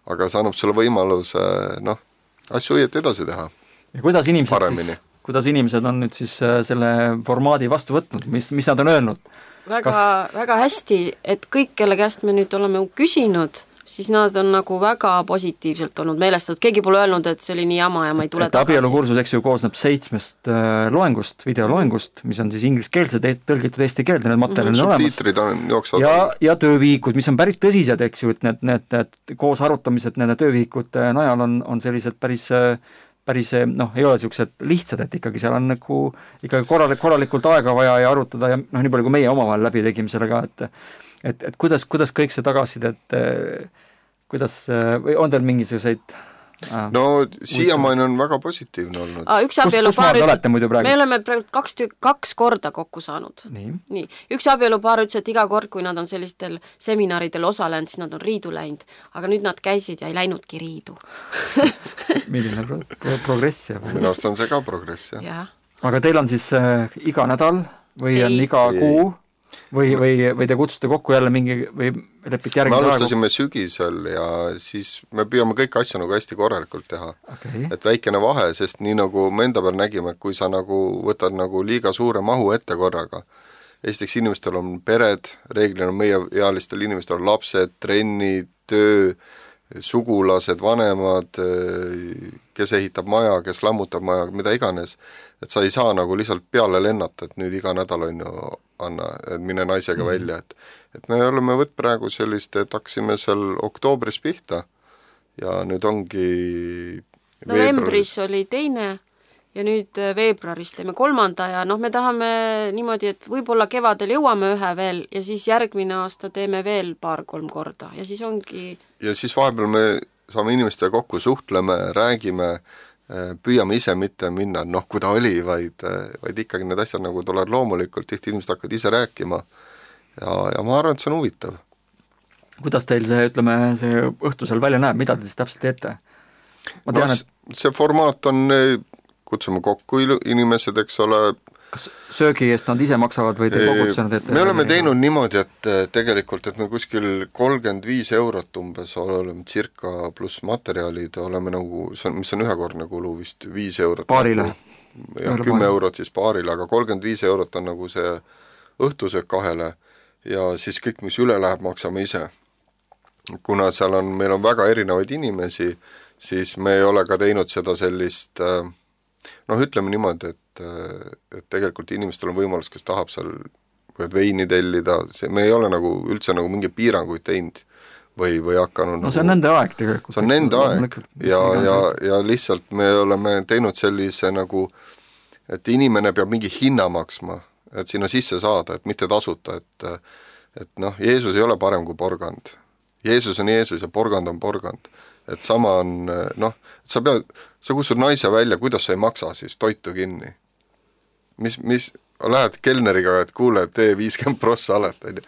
aga see annab sulle võimaluse noh, asju õieti edasi teha. Ja kuidas inimesed, siis, kuidas inimesed on nüüd siis selle formaadi vastu võtnud, mis, mis nad on öelnud? Väga, Kas... väga hästi, et kõik, kelle käest me nüüd oleme küsinud, siis nad on nagu väga positiivselt olnud meelestatud, keegi pole öelnud, et see oli nii jama ja ma ei tule et tagasi. abielukursus, eks ju, koosneb seitsmest äh, loengust, videoloengust, mis on siis ingliskeelsed, tõlgitud eesti keelde, need materjalid mm-hmm. on subtiitrid on jooksvad. Ja, ja töövihikud, mis on päris tõsised, eks ju, et need, need, need koos arutamised nende töövihikute najal on, on sellised päris, päris noh, ei ole niisugused lihtsad, et ikkagi seal on nagu ikkagi korralik, korralikult aega vaja ja arutada ja noh, nii palju kui meie omavahel läbi tegime sellega, et et, et kuidas, kuidas kõik see tagasiside, et kuidas, või on teil mingisuguseid äh, no siiamaani on väga positiivne olnud. Ah, üks abielupaar ütles, me oleme praegu kaks, tük, kaks korda kokku saanud. Nii. Nii. Üks abielupaar ütles, et iga kord, kui nad on sellistel seminaridel osalenud, siis nad on riidu läinud. Aga nüüd nad käisid ja ei läinudki riidu. Milline pro pro progress? Minu arust on see ka progress, jah. Ja. Aga teil on siis äh, iga nädal või ei. On iga ei. Kuu? Või, või, või te kutsuste kokku jälle mingi või lepite järgmine me alustasime aegu? Sügisel ja siis me püüame kõiki asju nagu hästi korralikult teha. Okay. Et väikene vahe, sest nii nagu me enda peal nägime, kui sa nagu võtad nagu liiga suure mahu ette korraga. Esiteks inimestel on pered, reeglina meie ealistel inimestel on lapsed, trennid, töö, sugulased, vanemad, kes ehitab maja, kes lammutab maja, mida iganes. Et sa ei saa nagu lihtsalt peale lennata, et nüüd iga nädal on ju anna, et mine naisega mm-hmm. välja, et, et me oleme võtt praegu sellist, et haksime seal oktoobris pihta ja nüüd ongi novembris oli teine ja nüüd veebruaris teeme kolmanda ja noh, me tahame niimoodi, et võib-olla kevadel jõuame ühe veel ja siis järgmine aasta teeme veel paar-kolm korda ja siis ongi ja siis vahepeal me saame inimestega kokku, suhtleme, räägime, püüame ise mitte minna, noh, kui ta oli, vaid, vaid ikkagi need asjad nagu tulevad loomulikult, tihti inimesed hakkavad ise rääkima ja, ja ma arvan, et see on huvitav. Kuidas teil see, ütleme, see õhtusel välja näeb, mida te siis täpselt teete? Ma tean, no, et see formaat on, kutsume kokku inimesed, eks ole. Kas söögi eest nad ise maksavad või te kogutsena teete? Me oleme teinud niimoodi, et tegelikult, et me kuskil kolmkümmend viis eurot umbes oleme circa pluss materjalid, oleme nagu, mis on ühekordne kulu vist viis eurot. Paarile? Ja kümme eurot siis paarile, aga kolmkümmend viis eurot on nagu see õhtusöök kahele ja siis kõik, mis üle läheb, maksame ise. Kuna seal on, meil on väga erinevaid inimesi, siis me ei ole ka teinud seda sellist, noh, ütleme niimoodi, et et tegelikult inimestel on võimalus, kes tahab seal veini tellida, see, me ei ole nagu üldse nagu mingi piiranguid teinud või, või hakanud no see on nagu, nende aeg tegelikult. See on nende aeg ja, ja, ja lihtsalt me oleme teinud sellise nagu, et inimene peab mingi hinna maksma, et sinna sisse saada, et mitte tasuta, et et noh, Jeesus ei ole parem kui porgand. Jeesus on Jeesus ja porgand on porgand. Et sama on, noh, sa pead, sa kutsud naise välja, kuidas sa ei maksa siis toitu kinni. Mis, mis, lähed kelneriga, et kuule, tee viiskümmend prossa alet,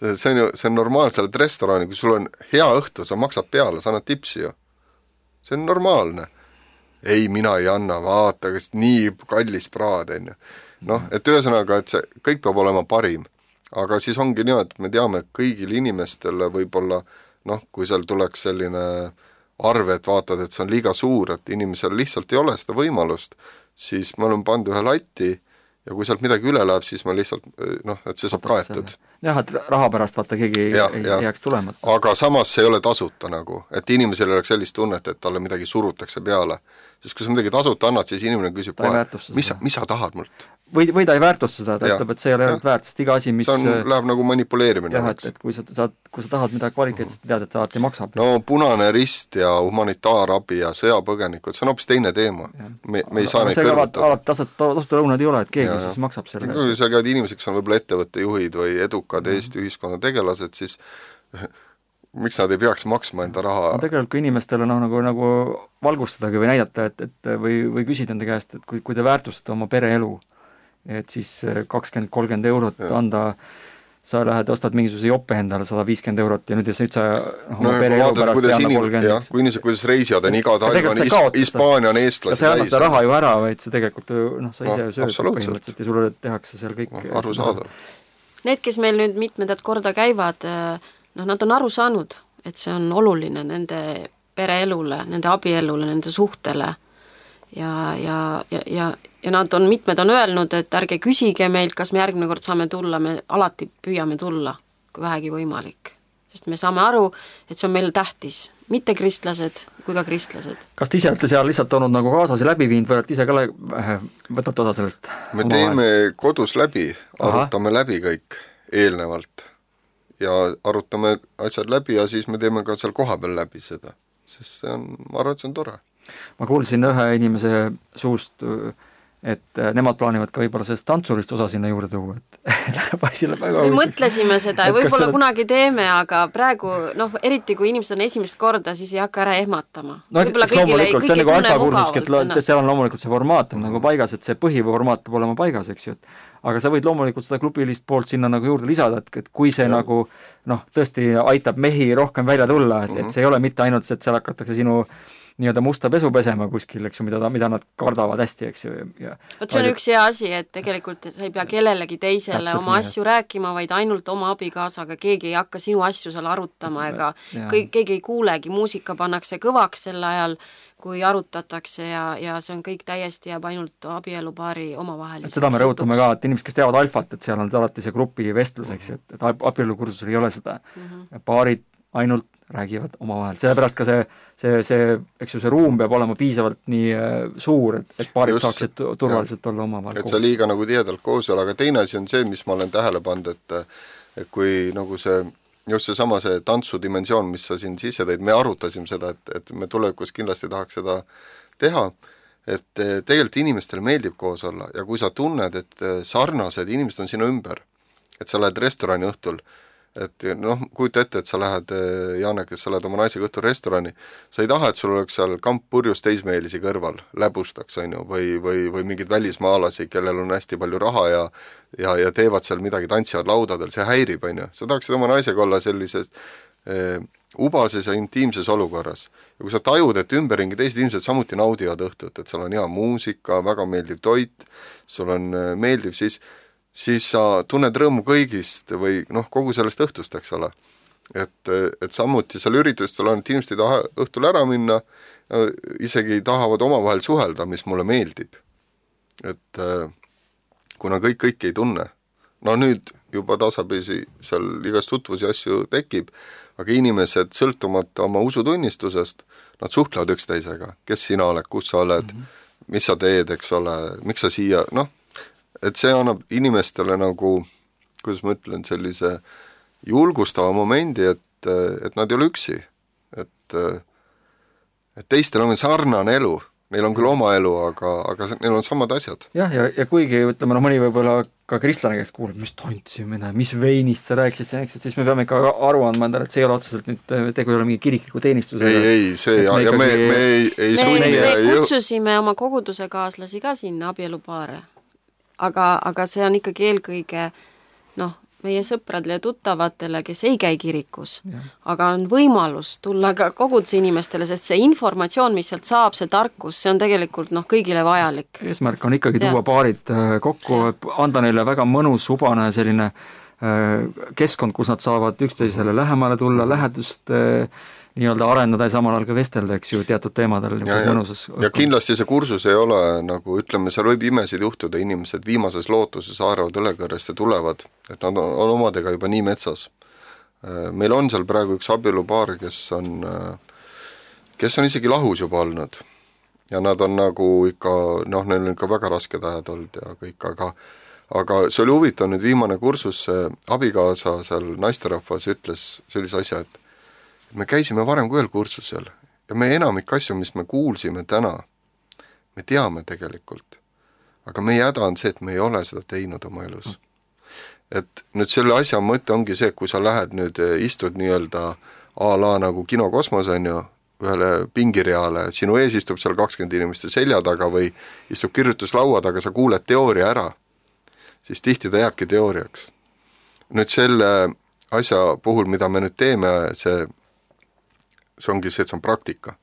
see on ju, see on normaalselt restorani, kui sul on hea õhtu, sa maksad peale, sa annad tipsi ju. See on normaalne. Ei, mina ei anna, vaata, kas nii kallis praad, on ju. Noh, et ühesõnaga, et see kõik peab olema parim. Aga siis ongi nii, et me teame, et kõigil inimestele võib-olla, noh, kui seal tuleks selline arve, et vaatad, et see on liiga suur, et inimesel lihtsalt ei ole seda võimalust, siis me oleme pannud ühe latti ja kui sealt midagi üle läheb, siis ma lihtsalt, noh, et see saab kaetud. Jah, et raha pärast vaata keegi ja, ei, ei jääks tulemata. Aga samas see ei ole tasuta nagu, et inimesel oleks sellist tunnet, et talle midagi surutakse peale. Sest kui sa midagi tasuta annad, siis inimene küsib kohe, mis, mis sa tahad mult? Või, või ta ei väärtusta seda, ta ütleb, et see ei ole väärt, sest iga asi, mis... See on, läheb nagu manipuleerimine. Jah, et, et kui sa, saad, kui sa tahad midagi kvaliteetset, tead, et sa alati maksab. No Punane Rist ja humanitaarabi ja sõjapõgenikud, see on hoopis teine teema. Me, me ei saa neid kõrvutada. Alati tasuta lõunad ei ole, et keegi ja, siis maksab selle. Kui sa käid inimesed, kes on võib-olla ettevõtte juhid või edukad mm. Eesti ühiskonna tegelased, siis miks nad ei peaks maksma enda raha? No tegelikult kui inimestele no, nagu, nagu valgustadagi või näidata, et, et, või, või küsida enda käest, et kui, kui te väärtustate oma pereelu, et siis kakskümmend kolmkümmend eurot ja. Anda, sa lähed, ostad mingisuguse joppe endale sada viiskümmend eurot ja nüüd, nüüd sa no, oma pere elu pärast ei anna kolmkümmend. Kui inimesed, kuidas reisijad on iga talv on Hispaania on eestlasi. Ja sa annad seda raha ju ära, vaid see tegelikult noh, sa ise no, sööd põhimõtteliselt ja sulle tehakse seal kõik. No, aru saada. Need, kes meil nüüd mitmendat korda käivad, noh, nad on aru saanud, et see on oluline nende pereelule, nende abielule, nende suhtele ja, ja, ja, ja ja nad on, mitmed on öelnud, et ärge küsige meilt, kas me järgmine kord saame tulla, me alati püüame tulla, kui vähegi võimalik. sest me saame aru, et see on meil tähtis, mitte kristlased kui ka kristlased. Kas te ise olete seal lihtsalt olnud nagu kaasasi läbi viinud või olete ise ka le- võtate osa sellest? Me teeme kodus läbi, arutame Aha. läbi kõik eelnevalt ja arutame asjad läbi ja siis me teeme ka seal kohapeal läbi seda, sest see on, ma arvan, et see on tore. Ma kuulsin ühe inimese suust, et nemad plaanivad ka võib-olla sellest tantsulist osa sinna juurde tuua, et läheb asile väga me mõtlesime seda ja võib-olla kunagi teeme, aga praegu, noh, eriti kui inimesed on esimest korda, siis ei hakka ära ehmatama. No, eks loomulikult, see on nagu alfakursuski, et seal on loomulikult see formaat on nagu paigas, et see põhiformaat peab olema paigas, eks ju, aga sa võid loomulikult seda klubilist poolt sinna nagu juurde lisada, et, et kui see ja. nagu, noh, tõesti aitab mehi rohkem välja tulla, et, et see ei ole mitte ainult see, et seal hakatakse sinu nii-öelda musta pesu pesema kuskil, eks ju, mida, mida nad kardavad hästi, eks ju. Vot see on üks hea asi, et tegelikult sa ei pea kellelegi teisele Täpselt oma asju jah. rääkima, vaid ainult oma abikaasaga, keegi ei hakka sinu asju seal arutama ega kõik, keegi ei kuulegi, muusika pannakse kõvaks sel ajal, kui arutatakse ja, ja see on kõik täiesti jääb ainult abielupaari omavahel. Seda me rõhutame ka, et inimesed, kes teavad alfat, et seal on alati see grupi vestlus, eks ju, et, et abielukursusel ei ole seda mm-hmm. paarid ainult räägivad omavahel, sellepärast ka see, see, see, eks ju, see ruum peab olema piisavalt nii suur, et, et paarid Just, saaksid turvaliselt jah. olla omavahel et koos. Et sa liiga nagu tihedalt koos ole, aga teine asi on see, mis ma olen tähele pannud, et, et kui nagu see, just see sama see tantsudimensioon, mis sa siin sisse tõid, me arutasime seda, et, et me tulevikus kindlasti tahaks seda teha, et tegelikult inimestele meeldib koos olla ja kui sa tunned, et sarnased inimesed on sinu ümber, et sa lähed restorani õhtul, et noh, kujuta ette, et sa lähed, Janek, et sa lähed oma naisega õhtul restorani, sa ei taha, et sul oleks seal kamp purjus teismeelisi kõrval, läbustaks, on ju, või, või, või mingid välismaalasi, kellel on hästi palju raha ja, ja, ja teevad seal midagi, tantsivad laudadel, see häirib, on ju. Sa tahaksid oma naisega olla sellises eh, ubases ja intiimses olukorras. Ja kui sa tajud, et ümberringi teised inimesed samuti naudivad õhtut, et seal on hea muusika, väga meeldiv toit, sul on meeldiv, siis siis sa tunned rõõmu kõigist või noh, kogu sellest õhtust, eks ole. Et, et samuti seal üritustel on, et inimesed ei taha õhtul ära minna, isegi tahavad omavahel suhelda, mis mulle meeldib. Et kuna kõik kõik ei tunne, no nüüd juba tasapisi seal igast tutvusi asju tekib, aga inimesed sõltumata oma usutunnistusest, nad suhtlevad üksteisega, kes sina oled, kus sa oled, mm-hmm. mis sa teed, eks ole, miks sa siia, noh, et see annab inimestele nagu, kuidas ma ütlen, sellise julgustava momendi, et, et nad ei ole üksi. Et, et teistel on sarnane elu. Neil on küll oma elu, aga, aga neil on samad asjad. Jah, ja, ja kuigi, ütleme, no mõni võib-olla ka kristlane, kes kuuleb, mis tantsimine, mis veinist sa rääkisid, siis me peame ikka aru andma endale, et see ei ole otseselt nüüd, tegu ei ole mingi kirikliku teenistusega. Ei, ei, see, ja, ja me, me ei, ei me, sunni. Me, me kutsusime oma koguduse kaaslasi ka sinna abielupaare. Aga, aga see on ikkagi eelkõige noh, meie sõpradele ja tuttavatele, kes ei käi kirikus, ja. Aga on võimalus tulla ka koguduse inimestele, sest see informatsioon, mis sealt saab, see tarkus, see on tegelikult noh, kõigile vajalik. Eesmärk on ikkagi tuua ja. paarid kokku, anda neile väga mõnus, ubane selline keskkond, kus nad saavad üksteisele lähemale tulla, lähedust nii-öelda arendada ja samal ajal ka vestelda, eks ju, teatud teemadel. Ja, ja, ja kindlasti see kursus ei ole, nagu ütleme, seal võib imesid juhtuda, inimesed viimases lootuses haaravad ülekõrrest ja tulevad, et nad on, on omadega juba nii metsas. Meil on seal praegu üks abielupaar, kes on, kes on isegi lahus juba olnud. Ja nad on nagu ikka, noh, neil on ikka väga rasked ajad olnud ja kõik, aga aga see oli huvitav nüüd viimane kursus, abikaasa seal naisterahvas ütles sellise asja, et me käisime varem kui ühel kursusel ja me enamik asju, mis me kuulsime täna, me teame tegelikult. Aga meie häda on see, et me ei ole seda teinud oma elus. Et nüüd selle asja mõte ongi see, kui sa lähed nüüd, istud nii-öelda a la nagu kinokosmos on ju, ühele pingireale, sinu ees istub seal kakskümmend inimeste selja taga või istub kirjutuslaua taga, sa kuuled teooria ära, siis tihti ta jääbki teooriaks. Nüüd selle asja puhul, mida me nüüd teeme, see see ongi see, et see on praktika.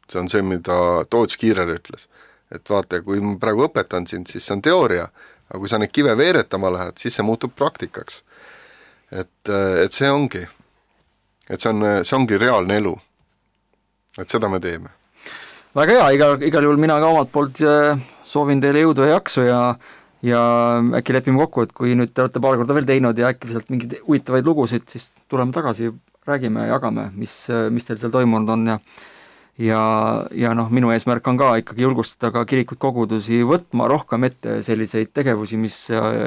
See on see, mida Toots Kiirer ütles. Et vaata, kui ma praegu õpetan sind, siis see on teooria, aga kui sa neid kive veeretama lähed, siis see muutub praktikaks. Et, et see ongi. Et see, on, see ongi reaalne elu. Et seda me teeme. Väga hea, igal, igal juhul mina ka omalt poolt soovin teile jõudu ja jaksu ja ja äkki lepime kokku, et kui nüüd te olete paar korda veel teinud ja äkki sealt mingeid huvitavaid lugusid, siis tuleme tagasi, räägime ja jagame, mis, mis teil seal toimunud on ja ja, ja noh, minu eesmärk on ka ikkagi julgustada ka kirikuid kogudusi võtma rohkem ette selliseid tegevusi, mis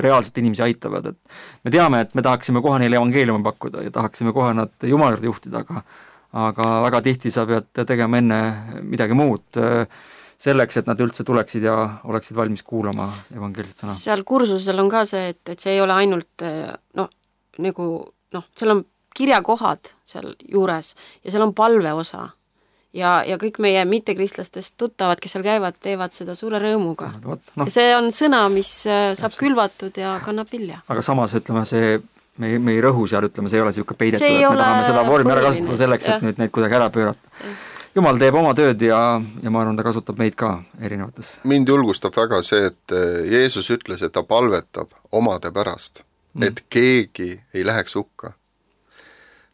reaalselt inimesi aitavad, et me teame, et me tahaksime kohe neile evangeeliumi pakkuda ja tahaksime kohe nad Jumala juurde juhtida, aga aga väga tihti sa pead tegema enne midagi muud selleks, et nad üldse tuleksid ja oleksid valmis kuulama evangeelset sõna. Seal kursusel on ka see, et, et see ei ole ainult noh, nagu noh, seal on kirjakohad seal juures ja seal on palve osa. Ja, ja kõik meie mittekristlastest tuttavad, kes seal käivad, teevad seda suure rõõmuga. No, no. See on sõna, mis saab külvatud ja kannab vilja. Aga samas, ütleme, see, me, me ei rõhu seal, ütleme, see ei ole siuke peidetud, et me tahame seda vormi ära kasutada selleks, et nüüd neid kuidagi ära pöörata. Ja. Jumal teeb oma tööd ja, ja ma arvan, ta kasutab meid ka erinevates. Mind julgustab väga see, et Jeesus ütles, et ta palvetab omade pärast, mm. et keegi ei läheks hukka.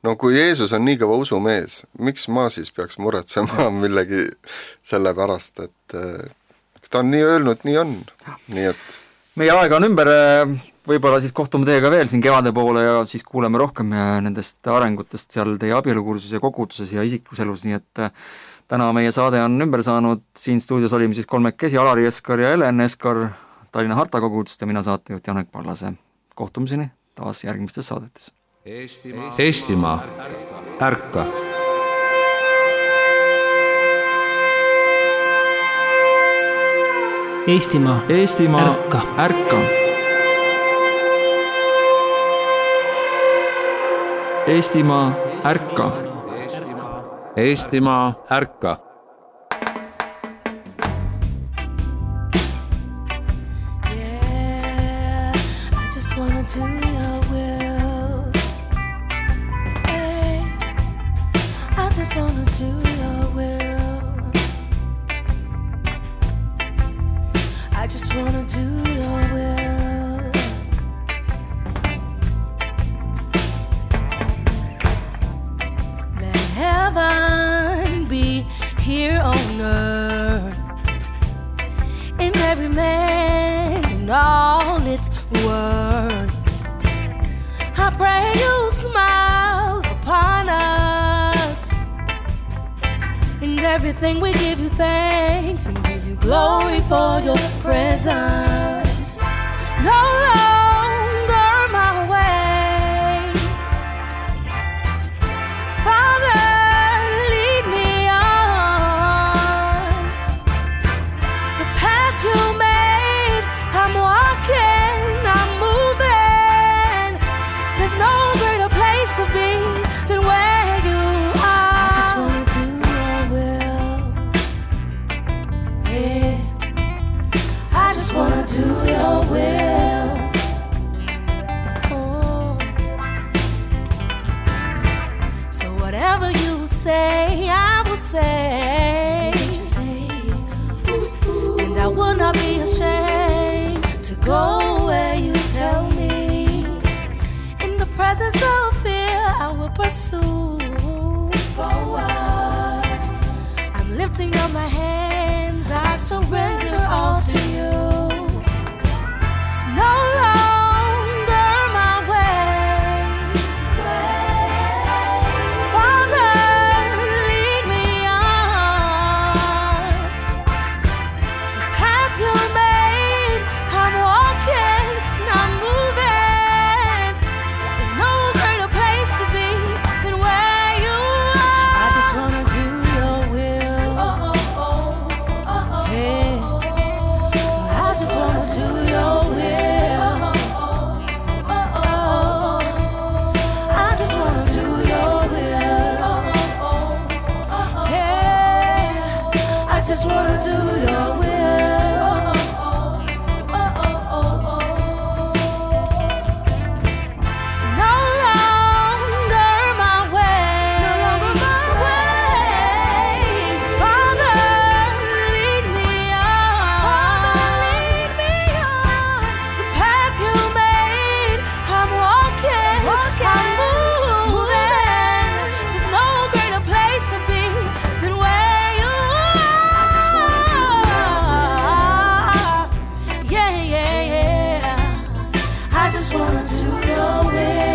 No kui Jeesus on nii kõva usumees, miks ma siis peaks muretsema millegi selle pärast, et ta on nii öelnud, nii on. Nii et... Meie aega on ümber, võib-olla siis kohtume teiega veel siin kevade poole ja siis kuuleme rohkem nendest arengutest seal teie abielukursus ja koguduses ja isikluselus, nii et täna meie saade on ümber saanud, siin stuudios olime siis kolmekesi, Alari Eskar ja Helen Eskar Tallinna Harta kogudust ja mina saatejuht Janek Parlase. Kohtumiseni taas järgmistes saadetes. Eestimaa, Eestimaa, ärka! Eestimaa, Eestimaa, ärka! ärka! Eestimaa, ärka! Eestimaa, ärka! Yeah, I just wanna do your will. Hey, I just wanna do your will. I just wanna do your will. Let heaven be here on earth, in every man and all its worth. I pray you smile upon us. In everything we give you thanks and give you glory for your presence. No longer my way. Father, lead me on the path you made. I'm walking, I'm moving. There's no greater place to be than where you are. I just wanna do your will. Yeah, I just wanna do your will. Oh. So whatever you say, I will say. And I will not be ashamed to go where you tell me. In the presence of fear, I will pursue forward. I'm lifting up my hands, I surrender all to you. No longer my way. Father, lead me on the path you made. I'm walking, I'm moving. There's no greater place to be than where you are. I just wanna do your will. Oh, oh, oh, oh, oh, hey. just wanna do your will.